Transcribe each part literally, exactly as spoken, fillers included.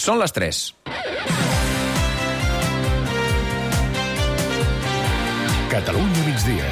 Són les tres. Catalunya migdia.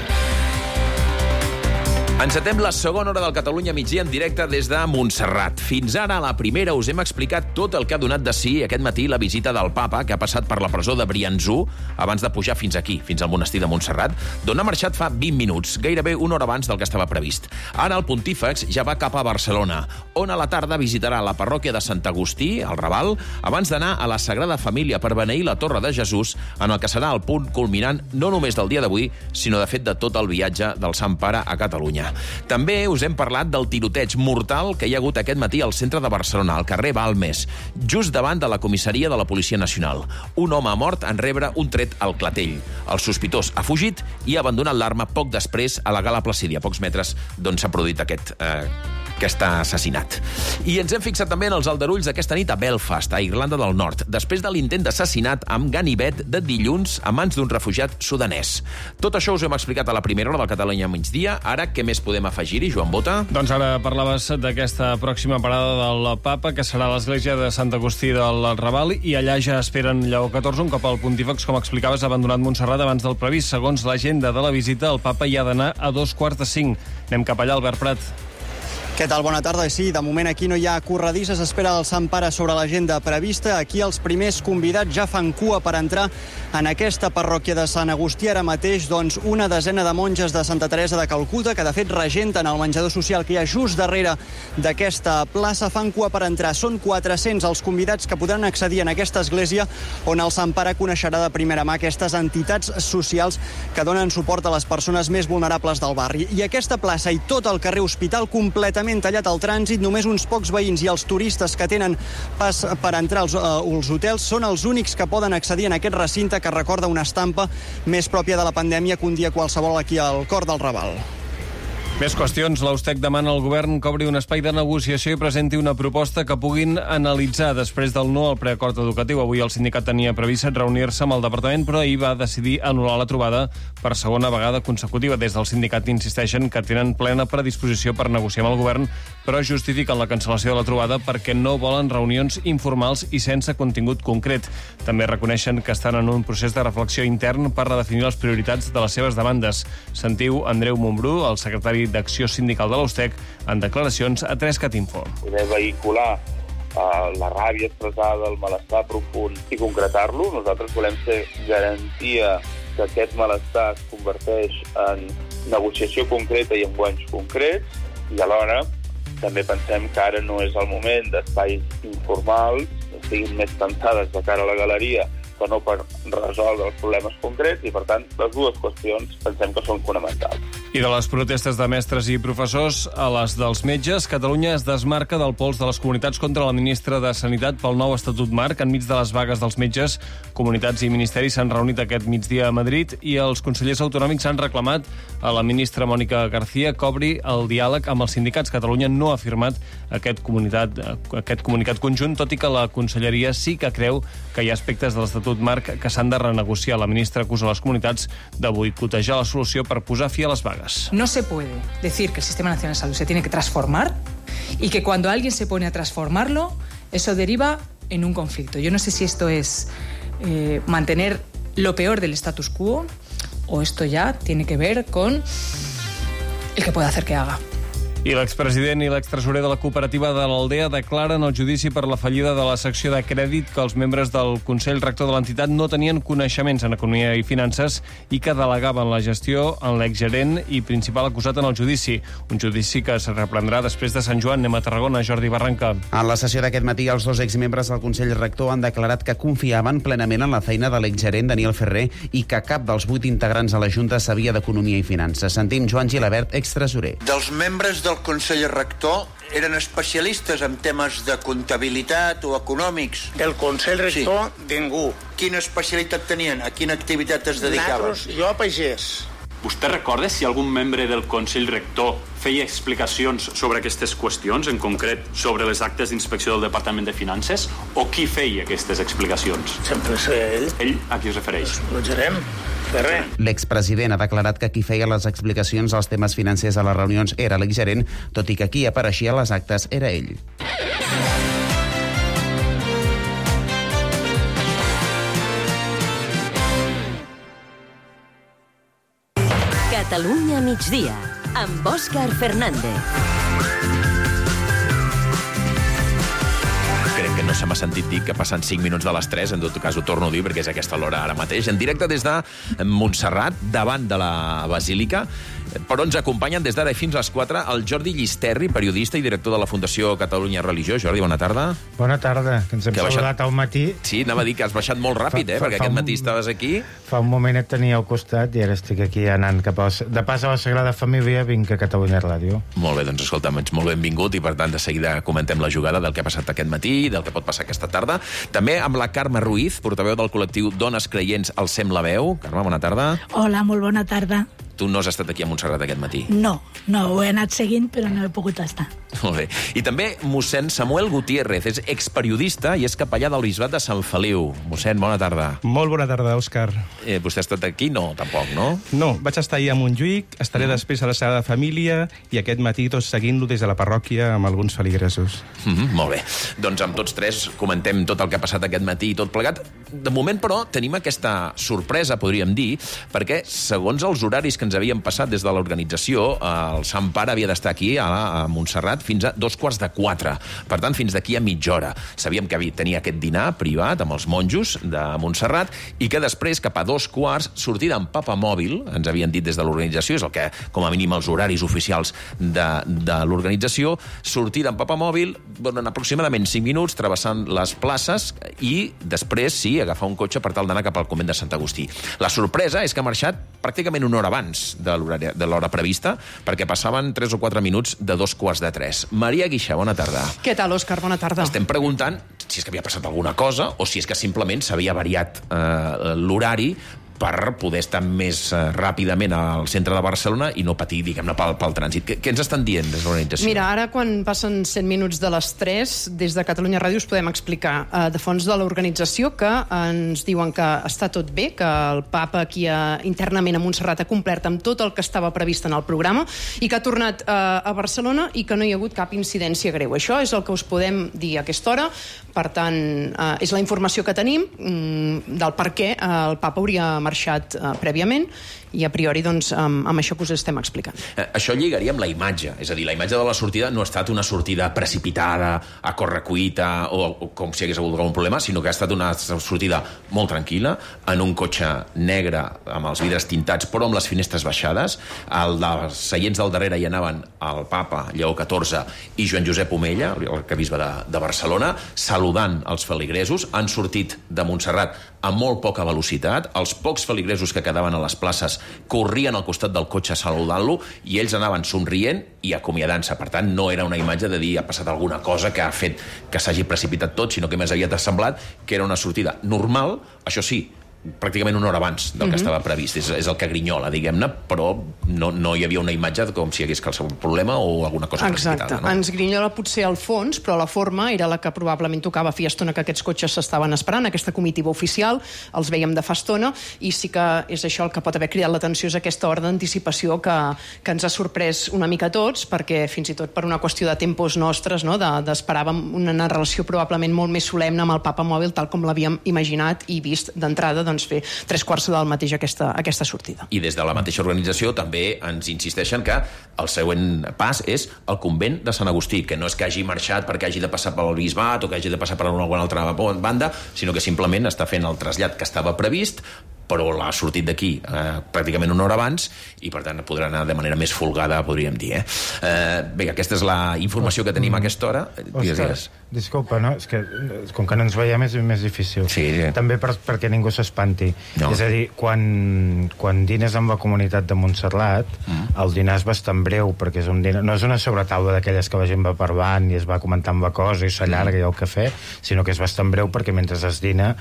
Encetem la segona hora del Catalunya migdia en directe des de Montserrat. Fins ara, a la primera, us hem explicat tot el que ha donat de si aquest matí la visita del papa, que ha passat per la presó de Briançó abans de pujar fins aquí, fins al monestir de Montserrat, d'on ha marxat fa vint minuts, gairebé una hora abans del que estava previst. Ara el pontífex ja va cap a Barcelona, on a la tarda visitarà la parròquia de Sant Agustí, al Raval, abans d'anar a la Sagrada Família per beneir la Torre de Jesús, en el que serà el punt culminant no només del dia d'avui, sinó de fet de tot el viatge del Sant Pare a Catalunya. També us hem parlat del tiroteig mortal que hi ha hagut aquest matí al centre de Barcelona, al carrer Balmes, just davant de la comissaria de la Policia Nacional. Un home ha mort en rebre un tret al clatell. El sospitós ha fugit i ha abandonat l'arma poc després a la Gala Placídia, a pocs metres d'on s'ha produït aquest... Eh, aquest assassinat. I ens hem fixat també en els aldarulls d'aquesta nit a Belfast, a Irlanda del Nord, després de l'intent d'assassinat amb ganivet de dilluns a mans d'un refugiat sudanès. Tot això us ho hem explicat a la primera hora del Catalunya migdia. Ara, què més podem afegir-hi, Joan Bota? Doncs ara parlaves d'aquesta pròxima parada del papa, que serà a l'església de Sant Agustí del Raval, i allà ja esperen Lleó catorze, un cop el pontífex, com explicaves, ha abandonat Montserrat abans del previst. Segons l'agenda de la visita, el papa hi ha d'anar a dos quarts de cinc. Anem cap allà, Albert Prat. Què tal? Bona tarda. Sí, de moment aquí no hi ha corredisses. Espera el Sant Pare sobre l'agenda prevista. Aquí els primers convidats ja fan cua per entrar en aquesta parròquia de Sant Agustí. Ara mateix, doncs, una desena de monges de Santa Teresa de Calcuta, que de fet regenten el menjador social que hi ha just darrere d'aquesta plaça, fan cua per entrar. Són quatre-cents els convidats que podran accedir en aquesta església, on el Sant Pare coneixerà de primera mà aquestes entitats socials que donen suport a les persones més vulnerables del barri. I aquesta plaça i tot el carrer Hospital completament tallat al trànsit, només uns pocs veïns i els turistes que tenen pas per entrar als, uh, als hotels són els únics que poden accedir en aquest recinte que recorda una estampa més pròpia de la pandèmia que un dia qualsevol aquí al cor del Raval. Més qüestions. L'Austec demana al govern que obri un espai de negociació i presenti una proposta que puguin analitzar després del no al preacord educatiu. Avui el sindicat tenia previst reunir-se amb el departament, però ahir va decidir anul·lar la trobada per segona vegada consecutiva. Des del sindicat insisteixen que tenen plena predisposició per negociar amb el govern, però justifiquen la cancel·lació de la trobada perquè no volen reunions informals i sense contingut concret. També reconeixen que estan en un procés de reflexió intern per redefinir les prioritats de les seves demandes. Sentiu Andreu Montbrú, el secretari d'Acció Sindical de l'Austec, en declaracions a tres cat info. Poder vehicular uh, la ràbia expressada, el malestar profund i concretar-lo. Nosaltres volem ser garantia que aquest malestar es converteix en negociació concreta i en guanys concrets, i alhora també pensem que ara no és el moment d'espais informals, que siguin més pensades de cara a la galeria, que no per resoldre els problemes concrets, i per tant les dues qüestions pensem que són fonamentals. I de les protestes de mestres i professors a les dels metges, Catalunya es desmarca del pols de les comunitats contra la ministra de Sanitat pel nou Estatut Marc. Enmig de les vagues dels metges, comunitats i ministeris s'han reunit aquest migdia a Madrid i els consellers autonòmics han reclamat a la ministra Mònica García que obri el diàleg amb els sindicats. Catalunya no ha firmat aquest, comunitat, aquest comunicat conjunt, tot i que la conselleria sí que creu que hi ha aspectes de l'Estatut Marc que s'han de renegociar. La ministra acusa les comunitats de boicotejar la solució per posar fi a les vagues. No se puede decir que el Sistema Nacional de Salud se tiene que transformar y que cuando alguien se pone a transformarlo, eso deriva en un conflicto. Yo no sé si esto es eh, mantener lo peor del status quo o esto ya tiene que ver con el que puede hacer que haga. I l'expresident i l'extresorer de la cooperativa de l'Aldea declaren el judici per la fallida de la secció de crèdit que els membres del Consell Rector de l'entitat no tenien coneixements en economia i finances i que delegaven la gestió en l'exgerent i principal acusat en el judici. Un judici que es reprendrà després de Sant Joan. Anem a Tarragona, Jordi Barranca. En la sessió d'aquest matí, els dos exmembres del Consell Rector han declarat que confiaven plenament en la feina de l'exgerent Daniel Ferrer i que cap dels vuit integrants a la Junta sabia d'economia i finances. Sentim Joan Gilabert, extresorer. Dels membres del El Consell Rector eren especialistes en temes de comptabilitat o econòmics. Del Consell Rector, sí. Ningú. Quina especialitat tenien? A quina activitat es dedicaven? Nosaltres, jo a pagès. Vostè recorda si algun membre del Consell Rector feia explicacions sobre aquestes qüestions, en concret sobre les actes d'inspecció del Departament de Finances, o qui feia aquestes explicacions? Sempre és ell. Ell a qui es refereix? El gerent. L'expresident ha declarat que qui feia les explicacions als temes financers a les reunions era l'exgerent, tot i que qui apareixia a les actes era ell. Catalunya migdia, amb Òscar Fernández. Crec que no se m'ha sentit dir que passen cinc minuts de les tres, en tot cas ho torno a dir perquè és aquesta l'hora ara mateix. En directe des de Montserrat, davant de la Basílica, per on ens acompanyen des d'ara i fins a les quatre el Jordi Llisterri, periodista i director de la Fundació Catalunya Religió. Jordi, bona tarda. Bona tarda, que ens hem que saludat baixat... al matí. Sí, anava a dir que has baixat molt ràpid, fa, eh, fa, perquè fa aquest un... matí estaves aquí. Fa un moment et tenia al costat i ara estic aquí anant cap a... De pas a la Sagrada Família vinc a Catalunya Ràdio. Molt bé, doncs escolta'm, ets molt benvingut i per tant de seguida comentem la jugada del que ha passat aquest matí, del que pot passar aquesta tarda. També amb la Carme Ruiz, portaveu del col·lectiu Dones Creients al Sem la Veu. Carme, bona tarda. Hola, molt bona tarda. Tu no has estat aquí a Montserrat aquest matí? No, no, ho he anat seguint, però no he pogut estar. Molt bé. I també mossèn Samuel Gutiérrez, és experiodista i és capellà del Bisbat de Sant Feliu. Mossèn, bona tarda. Molt bona tarda, Òscar. Eh, vostè ha estat aquí? No, tampoc, no? No, vaig estar ahir a Montjuïc, estaré mm. després a la Sagrada Família i aquest matí tots seguint-lo des de la parròquia amb alguns feligresos. Mm -hmm, molt bé. Doncs amb tots tres comentem tot el que ha passat aquest matí i tot plegat. De moment, però, tenim aquesta sorpresa, podríem dir, perquè segons els horaris que ens havien passat des de l'organització, el Sant Pare havia d'estar aquí a, a Montserrat fins a dos quarts de quatre. Per tant, fins d'aquí a mitja hora. Sabíem que tenia aquest dinar privat amb els monjos de Montserrat i que després, cap a dos quarts, sortida en papamòbil, ens havien dit des de l'organització, és el que, com a mínim, els horaris oficials de, de l'organització, sortida en papamòbil, en aproximadament cinc minuts, travessant les places i després, sí, agafar un cotxe per tal d'anar cap al convent de Sant Agustí. La sorpresa és que ha marxat pràcticament una hora abans de l'hora prevista, perquè passaven tres o quatre minuts de dos quarts de tres. Maria Guixà, bona tarda. Què tal, Òscar? Bona tarda. Estem preguntant si és que havia passat alguna cosa o si és que simplement s'havia variat eh, l'horari per poder estar més uh, ràpidament al centre de Barcelona i no patir, diguem-ne, pel, pel trànsit. Què, què ens estan dient des de l'organització? Mira, ara quan passen cent minuts de les tres, des de Catalunya Ràdio us podem explicar uh, de fons de l'organització que ens diuen que està tot bé, que el papa aquí uh, internament a Montserrat ha complert amb tot el que estava previst en el programa i que ha tornat uh, a Barcelona i que no hi ha hagut cap incidència greu. Això és el que us podem dir a aquesta hora. Per tant, uh, és la informació que tenim um, del per què uh, el papa hauria marxat uh, prèviament i a priori doncs, amb, amb això que us estem explicant. Eh, això lligaria amb la imatge, és a dir, la imatge de la sortida no ha estat una sortida precipitada, a correcuita o, o com si hagués hagut algun problema, sinó que ha estat una sortida molt tranquil·la, en un cotxe negre amb els vidres tintats però amb les finestres baixades. Al dels seients del darrere hi anaven el papa Lleó catorze i Joan Josep Omella, el arquebisbe de, de Barcelona, saludant els feligresos. Han sortit de Montserrat a molt poca velocitat. Els pocs feligresos que quedaven a les places corrien al costat del cotxe saludant-lo i ells anaven somrient i acomiadant-se. Per tant, no era una imatge de dir ha passat alguna cosa que ha fet que s'hagi precipitat tot, sinó que més aviat ha semblat que era una sortida normal, això sí, pràcticament una hora abans del que mm-hmm. estava previst. És, és el que grinyola, diguem-ne, però no, no hi havia una imatge com si hi hagués qualsevol problema o alguna cosa precipitada. Exacte. No? Ens grinyola potser al fons, però la forma era la que probablement tocava. Feia estona que aquests cotxes s'estaven esperant, aquesta comitiva oficial, els veiem de fa estona, i sí que és això el que pot haver cridat l'atenció, és aquesta hora d'anticipació que, que ens ha sorprès una mica a tots, perquè fins i tot per una qüestió de tempos nostres, no, d'esperàvem de, una relació probablement molt més solemne amb el papa mòbil, tal com l'havíem imaginat i vist d'entrada, doncs, fer tres quarts del mateix aquesta, aquesta sortida. I des de la mateixa organització també ens insisteixen que el següent pas és el convent de Sant Agustí, que no és que hagi marxat perquè hagi de passar pel bisbat o que hagi de passar per alguna altra banda, sinó que simplement està fent el trasllat que estava previst, però l'ha sortit d'aquí eh, pràcticament una hora abans i per tant podrà anar de manera més folgada, podríem dir. Eh? Eh, bé, aquesta és la informació que tenim a aquesta hora. Òscar, disculpa, no? És que com que no ens veiem és més difícil. Sí, sí. També per, perquè ningú s'espanti. No. És a dir, quan, quan dines amb la comunitat de Montserrat, mm. el dinar és bastant breu, perquè és un dinar, no és una sobretaula d'aquelles que la gent va parlant i es va comentant la cosa i s'allarga mm. i el cafè, sinó que és bastant breu perquè mentre es dina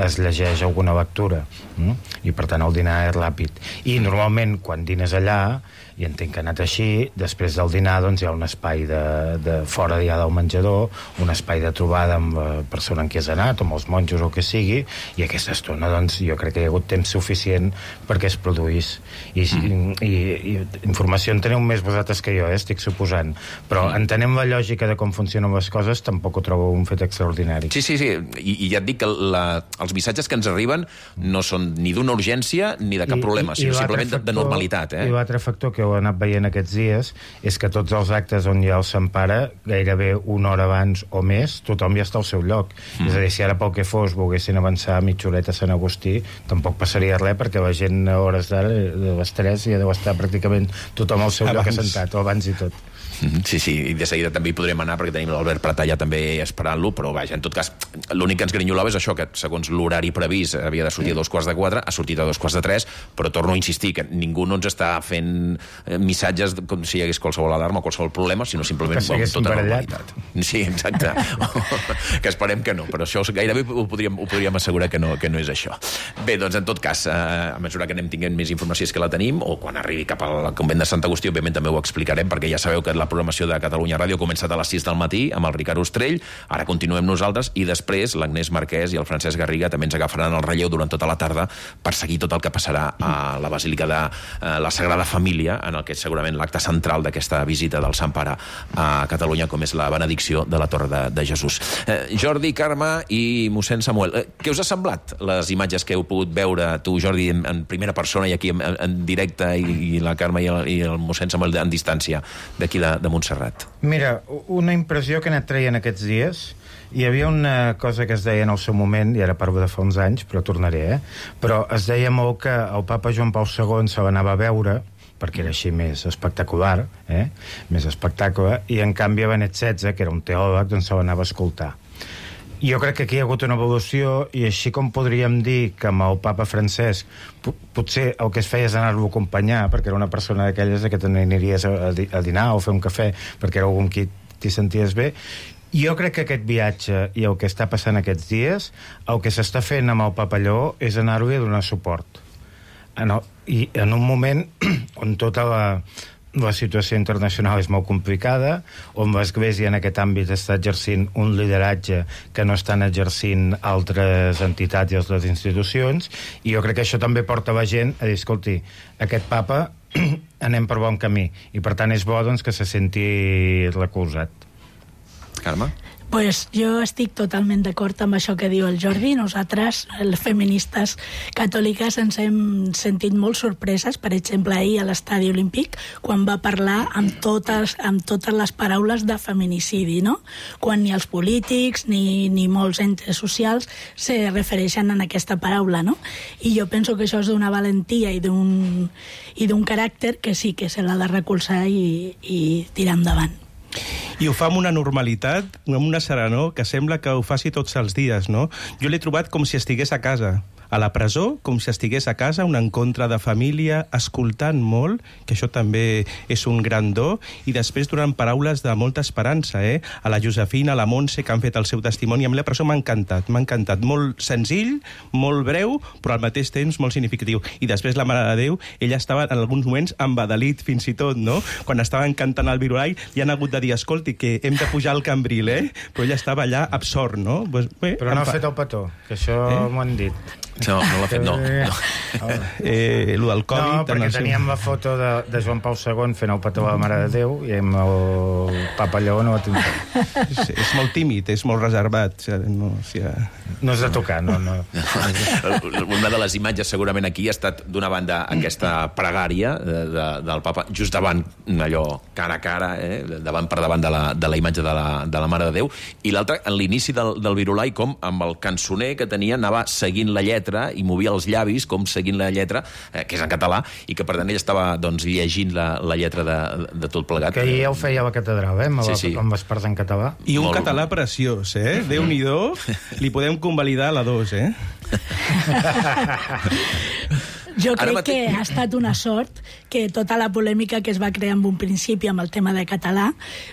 es llegeix alguna lectura. Mm? I per tant el dinar és ràpid. I normalment quan dines allà, i entenc que ha anat així, després del dinar doncs hi ha un espai de, de fora ja del menjador, un espai espai de trobada amb la persona en qui has anat, amb els monjos o el que sigui, i aquesta estona, doncs, jo crec que hi ha hagut temps suficient perquè es produís. I, mm. i, i, i informació en teniu més vosaltres que jo, eh, estic suposant. Però mm. entenem la lògica de com funcionen les coses, tampoc ho trobo un fet extraordinari. Sí, sí, sí. I, i ja et dic que la, els missatges que ens arriben no són ni d'una urgència ni de cap I, problema, i, sinó i simplement factor, de normalitat. Eh? I l'altre factor que heu anat veient aquests dies és que tots els actes on hi ha el Sant Pare, gairebé una hora abans o més, tothom ja està al seu lloc. Mm. És a dir, si ara pel que fos volguessin avançar mitja horeta a Sant Agustí, tampoc passaria res, perquè la gent a hores d'ara, de les tres, ja deu estar pràcticament tothom al seu abans. Lloc assentat, o abans i tot. Sí, sí, i de seguida també hi podrem anar perquè tenim l'Albert Prat allà també esperant-lo, però vaja, en tot cas, l'únic que ens grinyolava és això, que segons l'horari previst havia de sortir a dos quarts de quatre, ha sortit a dos quarts de tres, però torno a insistir que ningú no ens està fent missatges com si hi hagués qualsevol alarma o qualsevol problema, sinó simplement amb tota normalitat. Sí, exacte. Que esperem que no, però això gairebé ho podríem, ho podríem assegurar que no, que no és això. Bé, doncs en tot cas, a mesura que anem tinguent més informació és que la tenim, o quan arribi cap al convent de Sant Agustí, òbviament també ho explicarem, perquè ja sabeu que la programació de Catalunya Ràdio ha començat a les sis del matí amb el Ricard Ostrell, ara continuem nosaltres i després l'Agnès Marquès i el Francesc Garriga també ens agafaran el relleu durant tota la tarda per seguir tot el que passarà a la Basílica de eh, la Sagrada Família, en el que és segurament l'acte central d'aquesta visita del Sant Pare a Catalunya, com és la benedicció de la Torre de, de Jesús. Eh, Jordi, Carme i mossèn Samuel, eh, què us ha semblat les imatges que heu pogut veure tu, Jordi, en, en primera persona i aquí en, en directe, i, i la Carme i el, i el mossèn Samuel en distància d'aquí de, de Montserrat? Mira, una impressió que he anat traient aquests dies, hi havia una cosa que es deia en el seu moment, i ara parlo de fa uns anys, però tornaré, eh? Però es deia molt que el papa Joan Pau segon se l'anava a veure, perquè era així més espectacular, eh? Més espectacle, i en canvi Benet setze, que era un teòleg, doncs se l'anava a escoltar. Jo crec que aquí hi ha hagut una evolució, i així com podríem dir que amb el papa Francesc potser el que es feia és anar-lo a acompanyar, perquè era una persona d'aquelles que t'aniries a, a dinar o fer un cafè perquè era algú amb qui t'hi senties bé. Jo crec que aquest viatge i el que està passant aquests dies, el que s'està fent amb el papa Lleó és anar-li a donar suport. En el, I en un moment on tota la la situació internacional és molt complicada, on l'Església en aquest àmbit està exercint un lideratge que no estan exercint altres entitats i altres institucions, i jo crec que això també porta la gent a dir, escolti, aquest papa anem per bon camí, i per tant és bo doncs, que se senti recolzat. Carme? Pues jo estic totalment d'acord amb això que diu el Jordi. Nosaltres, les feministes catòliques, ens hem sentit molt sorpreses, per exemple, ahir a l'Estadi Olímpic, quan va parlar amb totes, amb totes les paraules de feminicidi, no? Quan ni els polítics ni, ni molts entes socials se refereixen a aquesta paraula, no? I jo penso que això és d'una valentia i d'un i d'un caràcter que sí que se l'ha de recolzar i, i tirar endavant. I ho fa amb una normalitat, amb una serenor, que sembla que ho faci tots els dies, no? Jo l'he trobat com si estigués a casa, a la presó, com si estigués a casa, un encontre de família, escoltant molt, que això també és un gran do, i després donant paraules de molta esperança, eh? A la Josefina, a la Montse, que han fet el seu testimoni, a mi la presó m'ha encantat, m'ha encantat. Molt senzill, molt breu, però al mateix temps molt significatiu. I després la Mare de Déu, ella estava en alguns moments embadalit, fins i tot, no? Quan estaven cantant el Virolai, li han hagut de dir, escolti, que hem de pujar al Cambril, eh? Però ella estava allà absort, no? Pues, bé, però no ha fa... fet el petó, que això eh? m'ho han dit. No, no l'ha fet, no. no. Eh, lo del Covid... No, perquè teníem la foto de, de Joan Pau segon fent el petó a la Mare de Déu i amb el papa Lleó no va tenir. És, és molt tímid, és molt reservat. No, o sigui... no és de tocar, no, no. Una de les imatges segurament aquí ha estat d'una banda aquesta pregària de, de, del papa just davant, allò cara a cara, eh, davant per davant de la, de la imatge de la, de la Mare de Déu, i l'altra en l'inici del, del Virolai, com amb el cançoner que tenia anava seguint la lletra i movia els llavis com seguint la lletra, eh, que és en català, i que per tant ell estava doncs, llegint la, la lletra de, de tot plegat. Que ja ho feia a la catedral, eh, amb, sí, sí. amb les parts en català. I un Molt... català preciós, eh? Déu-n'hi-do, li podem convalidar la dos, eh? Jo crec mate... que ha estat una sort que tota la polèmica que es va crear en un principi amb el tema de català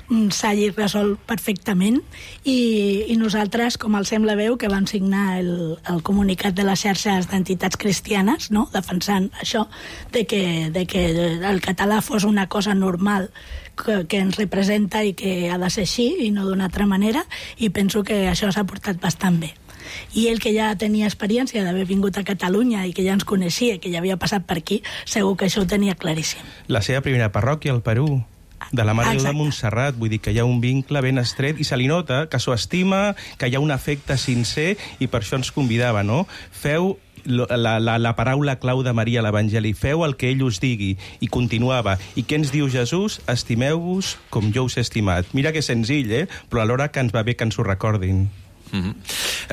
s'hagi resolt perfectament i, i nosaltres, com el Sembla Veu, que vam signar el, el comunicat de les xarxes d'entitats cristianes, no? Defensant això, de que, de que el català fos una cosa normal que, que ens representa i que ha de ser així i no d'una altra manera, i penso que això s'ha portat bastant bé. I ell, que ja tenia experiència d'haver vingut a Catalunya i que ja ens coneixia, que ja havia passat per aquí, segur que això ho tenia claríssim. La seva primera parròquia al Perú, de la Mare de Déu de Montserrat, vull dir que hi ha un vincle ben estret i se li nota que s'ho estima, que hi ha un afecte sincer, i per això ens convidava, no? Feu la, la, la paraula clau de Maria a l'Evangeli, feu el que ell us digui, i continuava. I què ens diu Jesús? Estimeu-vos com jo us he estimat. Mira que senzill, eh? Però alhora que ens va bé que ens ho recordin. Mm-hmm.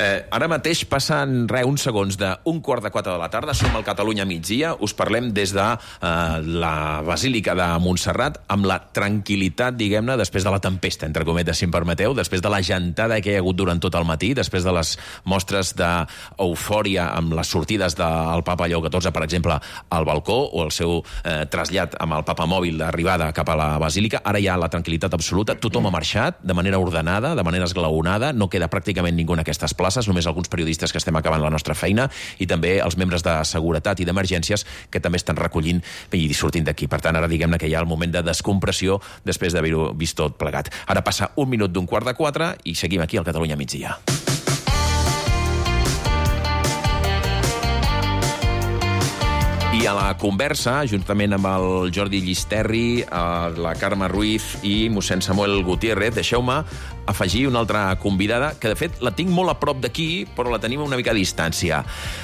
eh, ara mateix passen re, uns segons d'un quart de quatre de la tarda, som al Catalunya migdia, us parlem des de eh, la Basílica de Montserrat amb la tranquil·litat, diguem-ne, després de la tempesta, entre cometes, si em permeteu, després de la gentada que hi ha hagut durant tot el matí, després de les mostres d'eufòria amb les sortides del Papa Lleó catorze, per exemple, al balcó, o el seu eh, trasllat amb el Papa mòbil d'arribada cap a la Basílica. Ara hi ha la tranquil·litat absoluta, tothom ha marxat de manera ordenada, de manera esglaonada, no queda pràcticament ningú en aquestes places, només alguns periodistes que estem acabant la nostra feina, i també els membres de seguretat i d'emergències que també estan recollint i sortint d'aquí. Per tant, ara diguem-ne que hi ha el moment de descompressió després d'haver-ho vist tot plegat. Ara passa un minut d'un quart de quatre i seguim aquí al Catalunya migdia. I a la conversa, juntament amb el Jordi Llisterri, la Carme Ruiz i mossèn Samuel Gutiérrez, deixeu-me afegir una altra convidada, que de fet la tinc molt a prop d'aquí, però la tenim una mica a distància.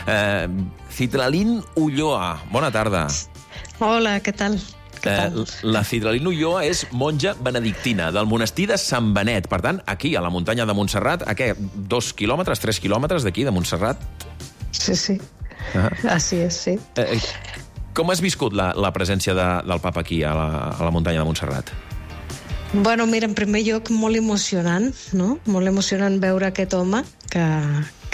Eh, Citralín Ulloa, bona tarda. Hola, què tal? Eh, la Citralín Ulloa és monja benedictina del monestir de Sant Benet. Per tant, aquí, a la muntanya de Montserrat, a què? Dos quilòmetres, tres quilòmetres d'aquí, de Montserrat? Sí, sí. Ah. Així és, sí. Eh, com has viscut la, la presència de, del papa aquí, a la, a la muntanya de Montserrat? Bueno, mira, en primer lloc, molt emocionant, no? Molt emocionant veure aquest home que,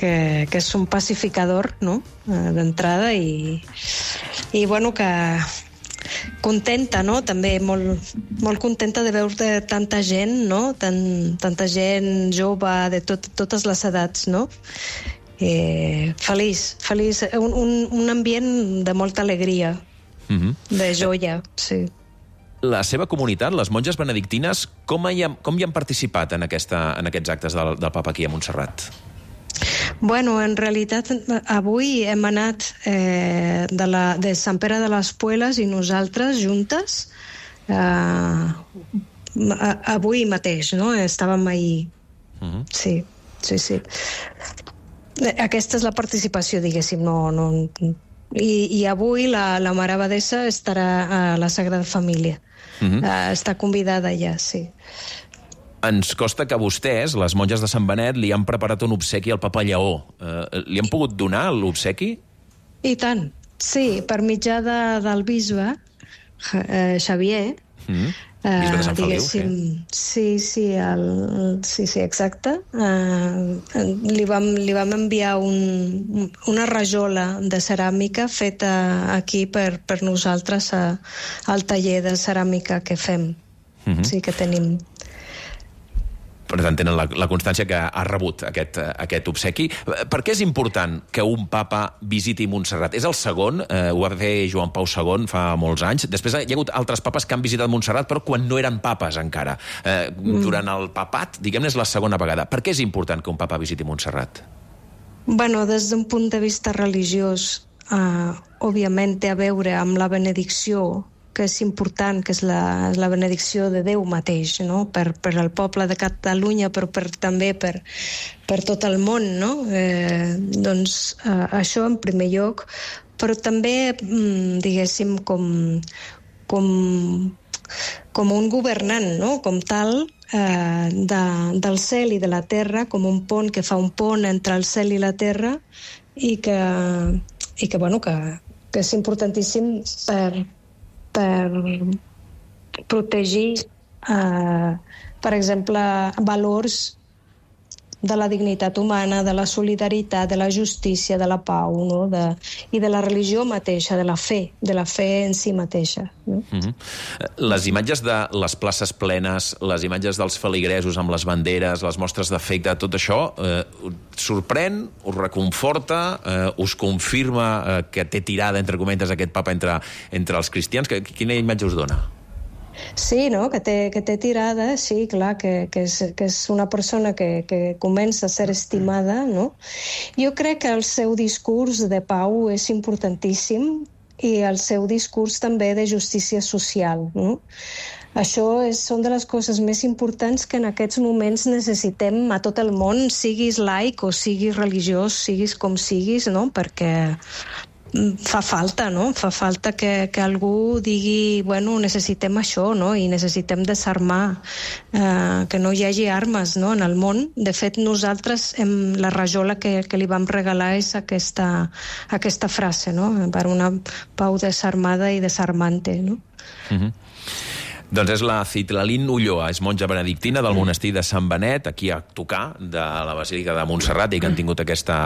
que, que és un pacificador, no?, d'entrada, i, i bueno, que contenta, no?, també molt, molt contenta de veure tanta gent, no?, Tant, tanta gent jove, de tot, totes les edats, no?, Eh, feliç, feliç, un, un, un ambient de molta alegria, mm-hmm. de joia, sí. La seva comunitat, les monges benedictines, com hi han, com hi han participat en, aquesta, en aquests actes del, del papa aquí a Montserrat? Bueno, en realitat, avui hem anat eh, de, la, de Sant Pere de les Pueles i nosaltres juntes, eh, avui mateix, no? Estàvem ahir. Mm-hmm. Sí, sí, sí. Aquesta és la participació, diguéssim, no, no, i, i avui la, la Mare Abadessa estarà a la Sagrada Família. Mm-hmm. uh, està convidada ja, sí. Ens costa que vostès, les monges de Sant Benet, li han preparat un obsequi al Papa Lleó. Uh, li han pogut donar l'obsequi? I tant, sí, per mitjà de, del bisbe eh, Xavier. Mm-hmm. Bisbe de Sant Feliu, sí. Sí, sí, el, sí, sí, exacte. Uh, li, vam, li vam enviar un, una rajola de ceràmica feta aquí per, per nosaltres a, al taller de ceràmica que fem. Mm-hmm. Sí, que tenim. Per tant, tenen la, la constància que ha rebut aquest, aquest obsequi. Per què és important que un papa visiti Montserrat? És el segon, eh, ho va fer Joan Pau segon fa molts anys. Després hi ha hagut altres papes que han visitat Montserrat, però quan no eren papes encara. Eh, mm. Durant el papat, diguem-ne, és la segona vegada. Per què és important que un papa visiti Montserrat? Bueno, des d'un punt de vista religiós, eh, òbviament té a veure amb la benedicció, que és important, que és la, la benedicció de Déu mateix, no? per, per al poble de Catalunya, però per, també per, per tot el món, no? Eh, doncs eh, això en primer lloc, però també, mm, diguéssim, com, com, com un governant, no? Com tal, eh, de, del cel i de la terra, com un pont que fa un pont entre el cel i la terra, i que, i que, bueno, que, que és importantíssim per per protegir, eh, per exemple, valors de la dignitat humana, de la solidaritat, de la justícia, de la pau, no? de, i de la religió mateixa, de la fe, de la fe en si mateixa. No? Mm-hmm. Les imatges de les places plenes, les imatges dels feligresos amb les banderes, les mostres d'afecte, tot això eh, us sorprèn, us reconforta, eh, us confirma eh, que té tirada, entre cometes, aquest papa entre, entre els cristians? Quina imatge us dona? Sí, no? que, té, que té tirada, sí, clar, que, que, és, que és una persona que, que comença a ser estimada, no? Jo crec que el seu discurs de pau és importantíssim i el seu discurs també de justícia social, no? Això és, són de les coses més importants que en aquests moments necessitem a tot el món, siguis laic o siguis religiós, siguis com siguis, no? Perquè fa falta, no? Fa falta que, que algú digui, bueno, necessitem això, no? I necessitem desarmar, eh, que no hi hagi armes, no? En el món. De fet, nosaltres, hem, la rajola que, que li vam regalar és aquesta, aquesta frase, no? Per una pau desarmada i desarmante, no? Mhm. Doncs és la Citlalín Ulloa, és monja benedictina del monestir de Sant Benet, aquí a tocar de la Basílica de Montserrat, i que han tingut aquesta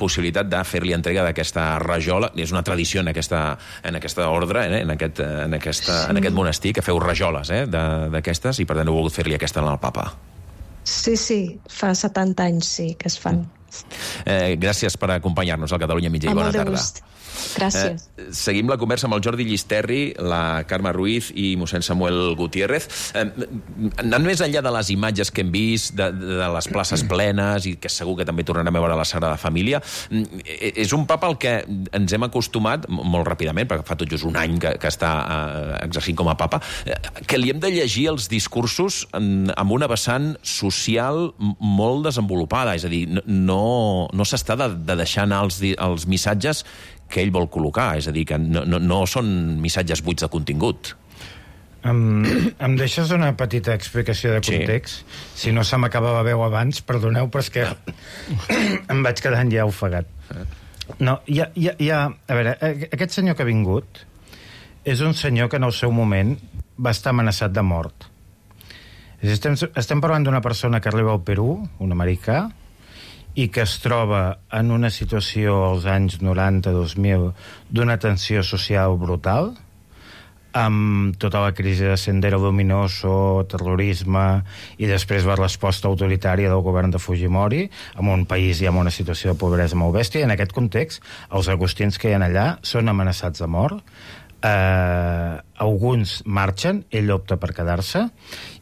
possibilitat de fer-li entrega d'aquesta rajola. És una tradició en aquesta, en aquesta ordre, eh? en, aquest, en, aquesta, sí. en aquest monestir, que feu rajoles eh? d'aquestes, i per tant heu volgut fer-li aquesta al papa. Sí, sí, fa setanta anys sí que es fan. Eh, gràcies per acompanyar-nos al Catalunya Mitjà i bona tarda. Gust. Gràcies. Eh, seguim la conversa amb el Jordi Llisterri, la Carme Ruiz i mossèn Samuel Gutiérrez. Eh, anant més enllà de les imatges que hem vist, de, de les places plenes, i que segur que també tornarem a veure la Sagrada Família, és un papa al que ens hem acostumat, molt ràpidament, perquè fa tot just un any que, que està eh, exercint com a papa, que li hem de llegir els discursos en, amb una vessant social molt desenvolupada, és a dir, no, no s'està de, de deixar anar els, els missatges que ell vol col·locar, és a dir, que no, no, no són missatges buits de contingut. Em, em deixes una petita explicació de context? Sí. Si no se m'acaba la veu abans, perdoneu, però és que em vaig quedant ja ofegat. No, hi ha, hi ha, hi ha, a veure, aquest senyor que ha vingut és un senyor que en el seu moment va estar amenaçat de mort. Estem, estem parlant d'una persona que arriba al Perú, un americà, i que es troba en una situació als anys noranta dos mil d'una tensió social brutal, amb tota la crisi de Sendero Luminoso, terrorisme, i després la resposta autoritària del govern de Fujimori, en un país i en una situació de pobresa molt bèstia. En aquest context, els agustins que hi ha allà són amenaçats de mort, eh, alguns marxen, ell opta per quedar-se,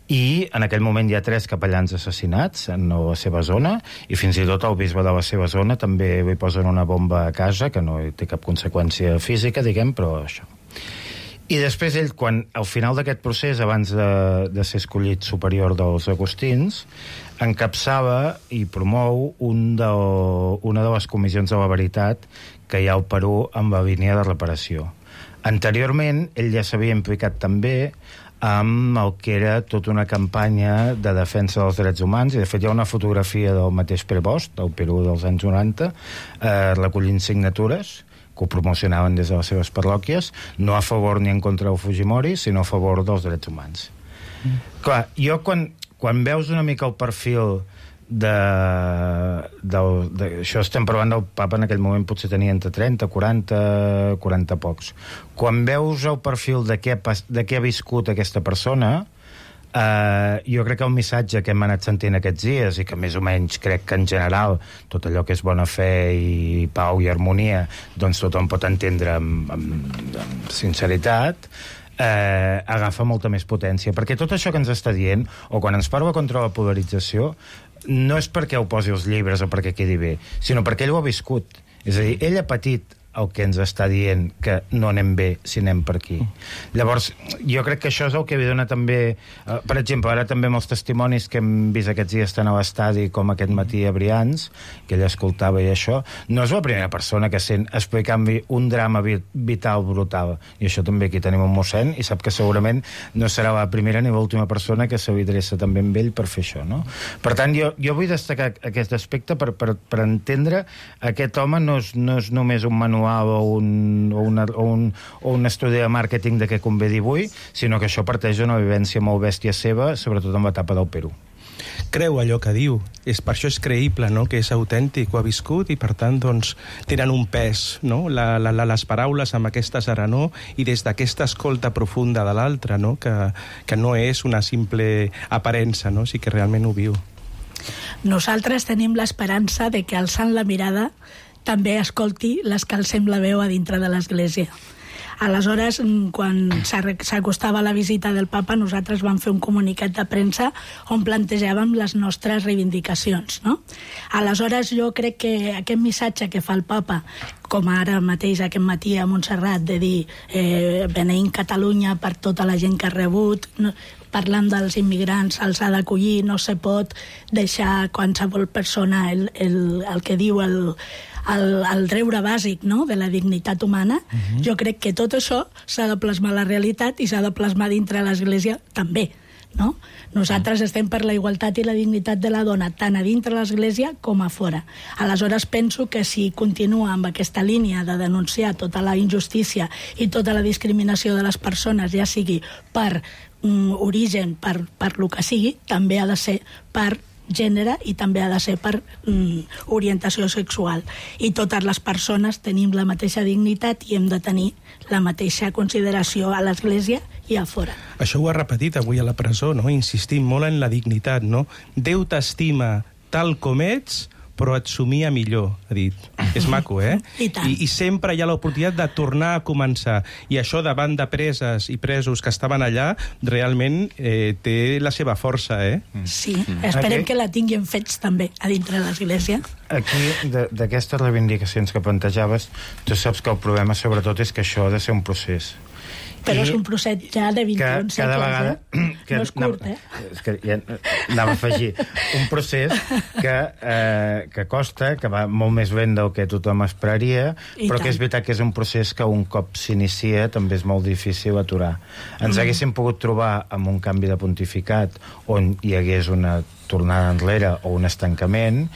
i en aquell moment hi ha tres capellans assassinats en la seva zona, i fins i tot el bisbe de la seva zona també li posen una bomba a casa, que no té cap conseqüència física, diguem, però això. I després ell, quan al final d'aquest procés, abans de, de ser escollit superior dels agustins, encapçava i promou un de, una de les comissions de la veritat que hi ha al Perú amb la línia de reparació. Anteriorment, ell ja s'havia implicat també amb el que era tota una campanya de defensa dels drets humans, i de fet hi ha una fotografia del mateix Prevost, del Perú dels anys noranta, eh, recollint signatures que ho promocionaven des de les seves parròquies, no a favor ni en contra del Fujimori, sinó a favor dels drets humans. Mm. Clar, jo quan, quan veus una mica el perfil de, de, de, això estem parlant del papa, en aquell moment potser tenia entre trenta, quaranta, quaranta pocs. Quan veus el perfil de què, de què ha viscut aquesta persona, eh, jo crec que el missatge que hem anat sentint aquests dies, i que més o menys crec que en general tot allò que és bona fe i pau i harmonia, doncs tothom pot entendre amb, amb, amb sinceritat, Eh, agafa molta més potència, perquè tot això que ens està dient, o quan ens parla contra la polarització, no és perquè ho posi els llibres o perquè quedi bé, sinó perquè ell ho ha viscut. És a dir, ell ha patit el que ens està dient que no anem bé si anem per aquí. Llavors, jo crec que això és el que li dona també, eh, per exemple, ara també amb els testimonis que hem vist aquests dies tant a l'estadi com aquest matí a Brians, que ell escoltava i això, no és la primera persona que sent explicant-li un drama vital brutal, i això també aquí tenim un mossèn, i sap que segurament no serà la primera ni l'última persona que se li adreça també amb ell per fer això, no? Per tant, jo, jo vull destacar aquest aspecte per, per, per entendre aquest home no és, no és només un manual o un, o, una, o, un, o un estudi de màrqueting de què convé dir avui, sinó que això parteix d'una vivència molt bèstia seva, sobretot en l'etapa del Perú. Creu allò que diu, és, per això és creïble, no? Que és autèntic, ho ha viscut, i per tant doncs, tenen un pes, no? la, la, les paraules amb aquesta serenor i des d'aquesta escolta profunda de l'altre, no? que, que no és una simple aparença, no? Sí que realment ho viu. Nosaltres tenim l'esperança de que, alçant la mirada, també escolti les que alcem la veu a dintre de l'Església. Aleshores, quan s'acostava la visita del papa, nosaltres vam fer un comunicat de premsa on plantejàvem les nostres reivindicacions, no? Aleshores, jo crec que aquest missatge que fa el papa, com ara mateix aquest matí a Montserrat, de dir eh, beneint Catalunya per tota la gent que ha rebut, no, parlant dels immigrants, els ha d'acollir, no se pot deixar qualsevol persona el, el, el que diu el, el, el deure bàsic, no?, de la dignitat humana. Uh-huh. Jo crec que tot això s'ha de plasmar a la realitat i s'ha de plasmar dintre l'Església també, no? Nosaltres estem per la igualtat i la dignitat de la dona, tant a dintre l'Església com a fora. Aleshores penso que si continua amb aquesta línia de denunciar tota la injustícia i tota la discriminació de les persones, ja sigui per mm, origen, per, per lo que sigui, també ha de ser per gènere i també ha de ser per mm, orientació sexual. I totes les persones tenim la mateixa dignitat i hem de tenir la mateixa consideració a l'Església i a fora. Això ho ha repetit avui a la presó, no? Insistim molt en la dignitat, no? Déu t'estima tal com ets, però et somia millor, ha dit. És maco, eh? I tant. I, i sempre hi ha l'oportunitat de tornar a començar. I això davant de preses i presos que estaven allà, realment eh, té la seva força, eh? Sí, esperem Aquí- que la tinguin fets també a dintre l'Església. Aquí, de- d'aquestes reivindicacions que plantejaves, tu saps que el problema sobretot és que això ha de ser un procés. Però I és un procés ja de vint i un que cada segles, vegada, eh? que No és curt, anava, eh? És que ja anava a afegir un procés que, eh, que costa, que va molt més lent del que tothom esperaria, I però tant. que és veritat que és un procés que un cop s'inicia també és molt difícil aturar. Ens Mm. haguéssim pogut trobar amb un canvi de pontificat on hi hagués una tornada enrere o un estancament,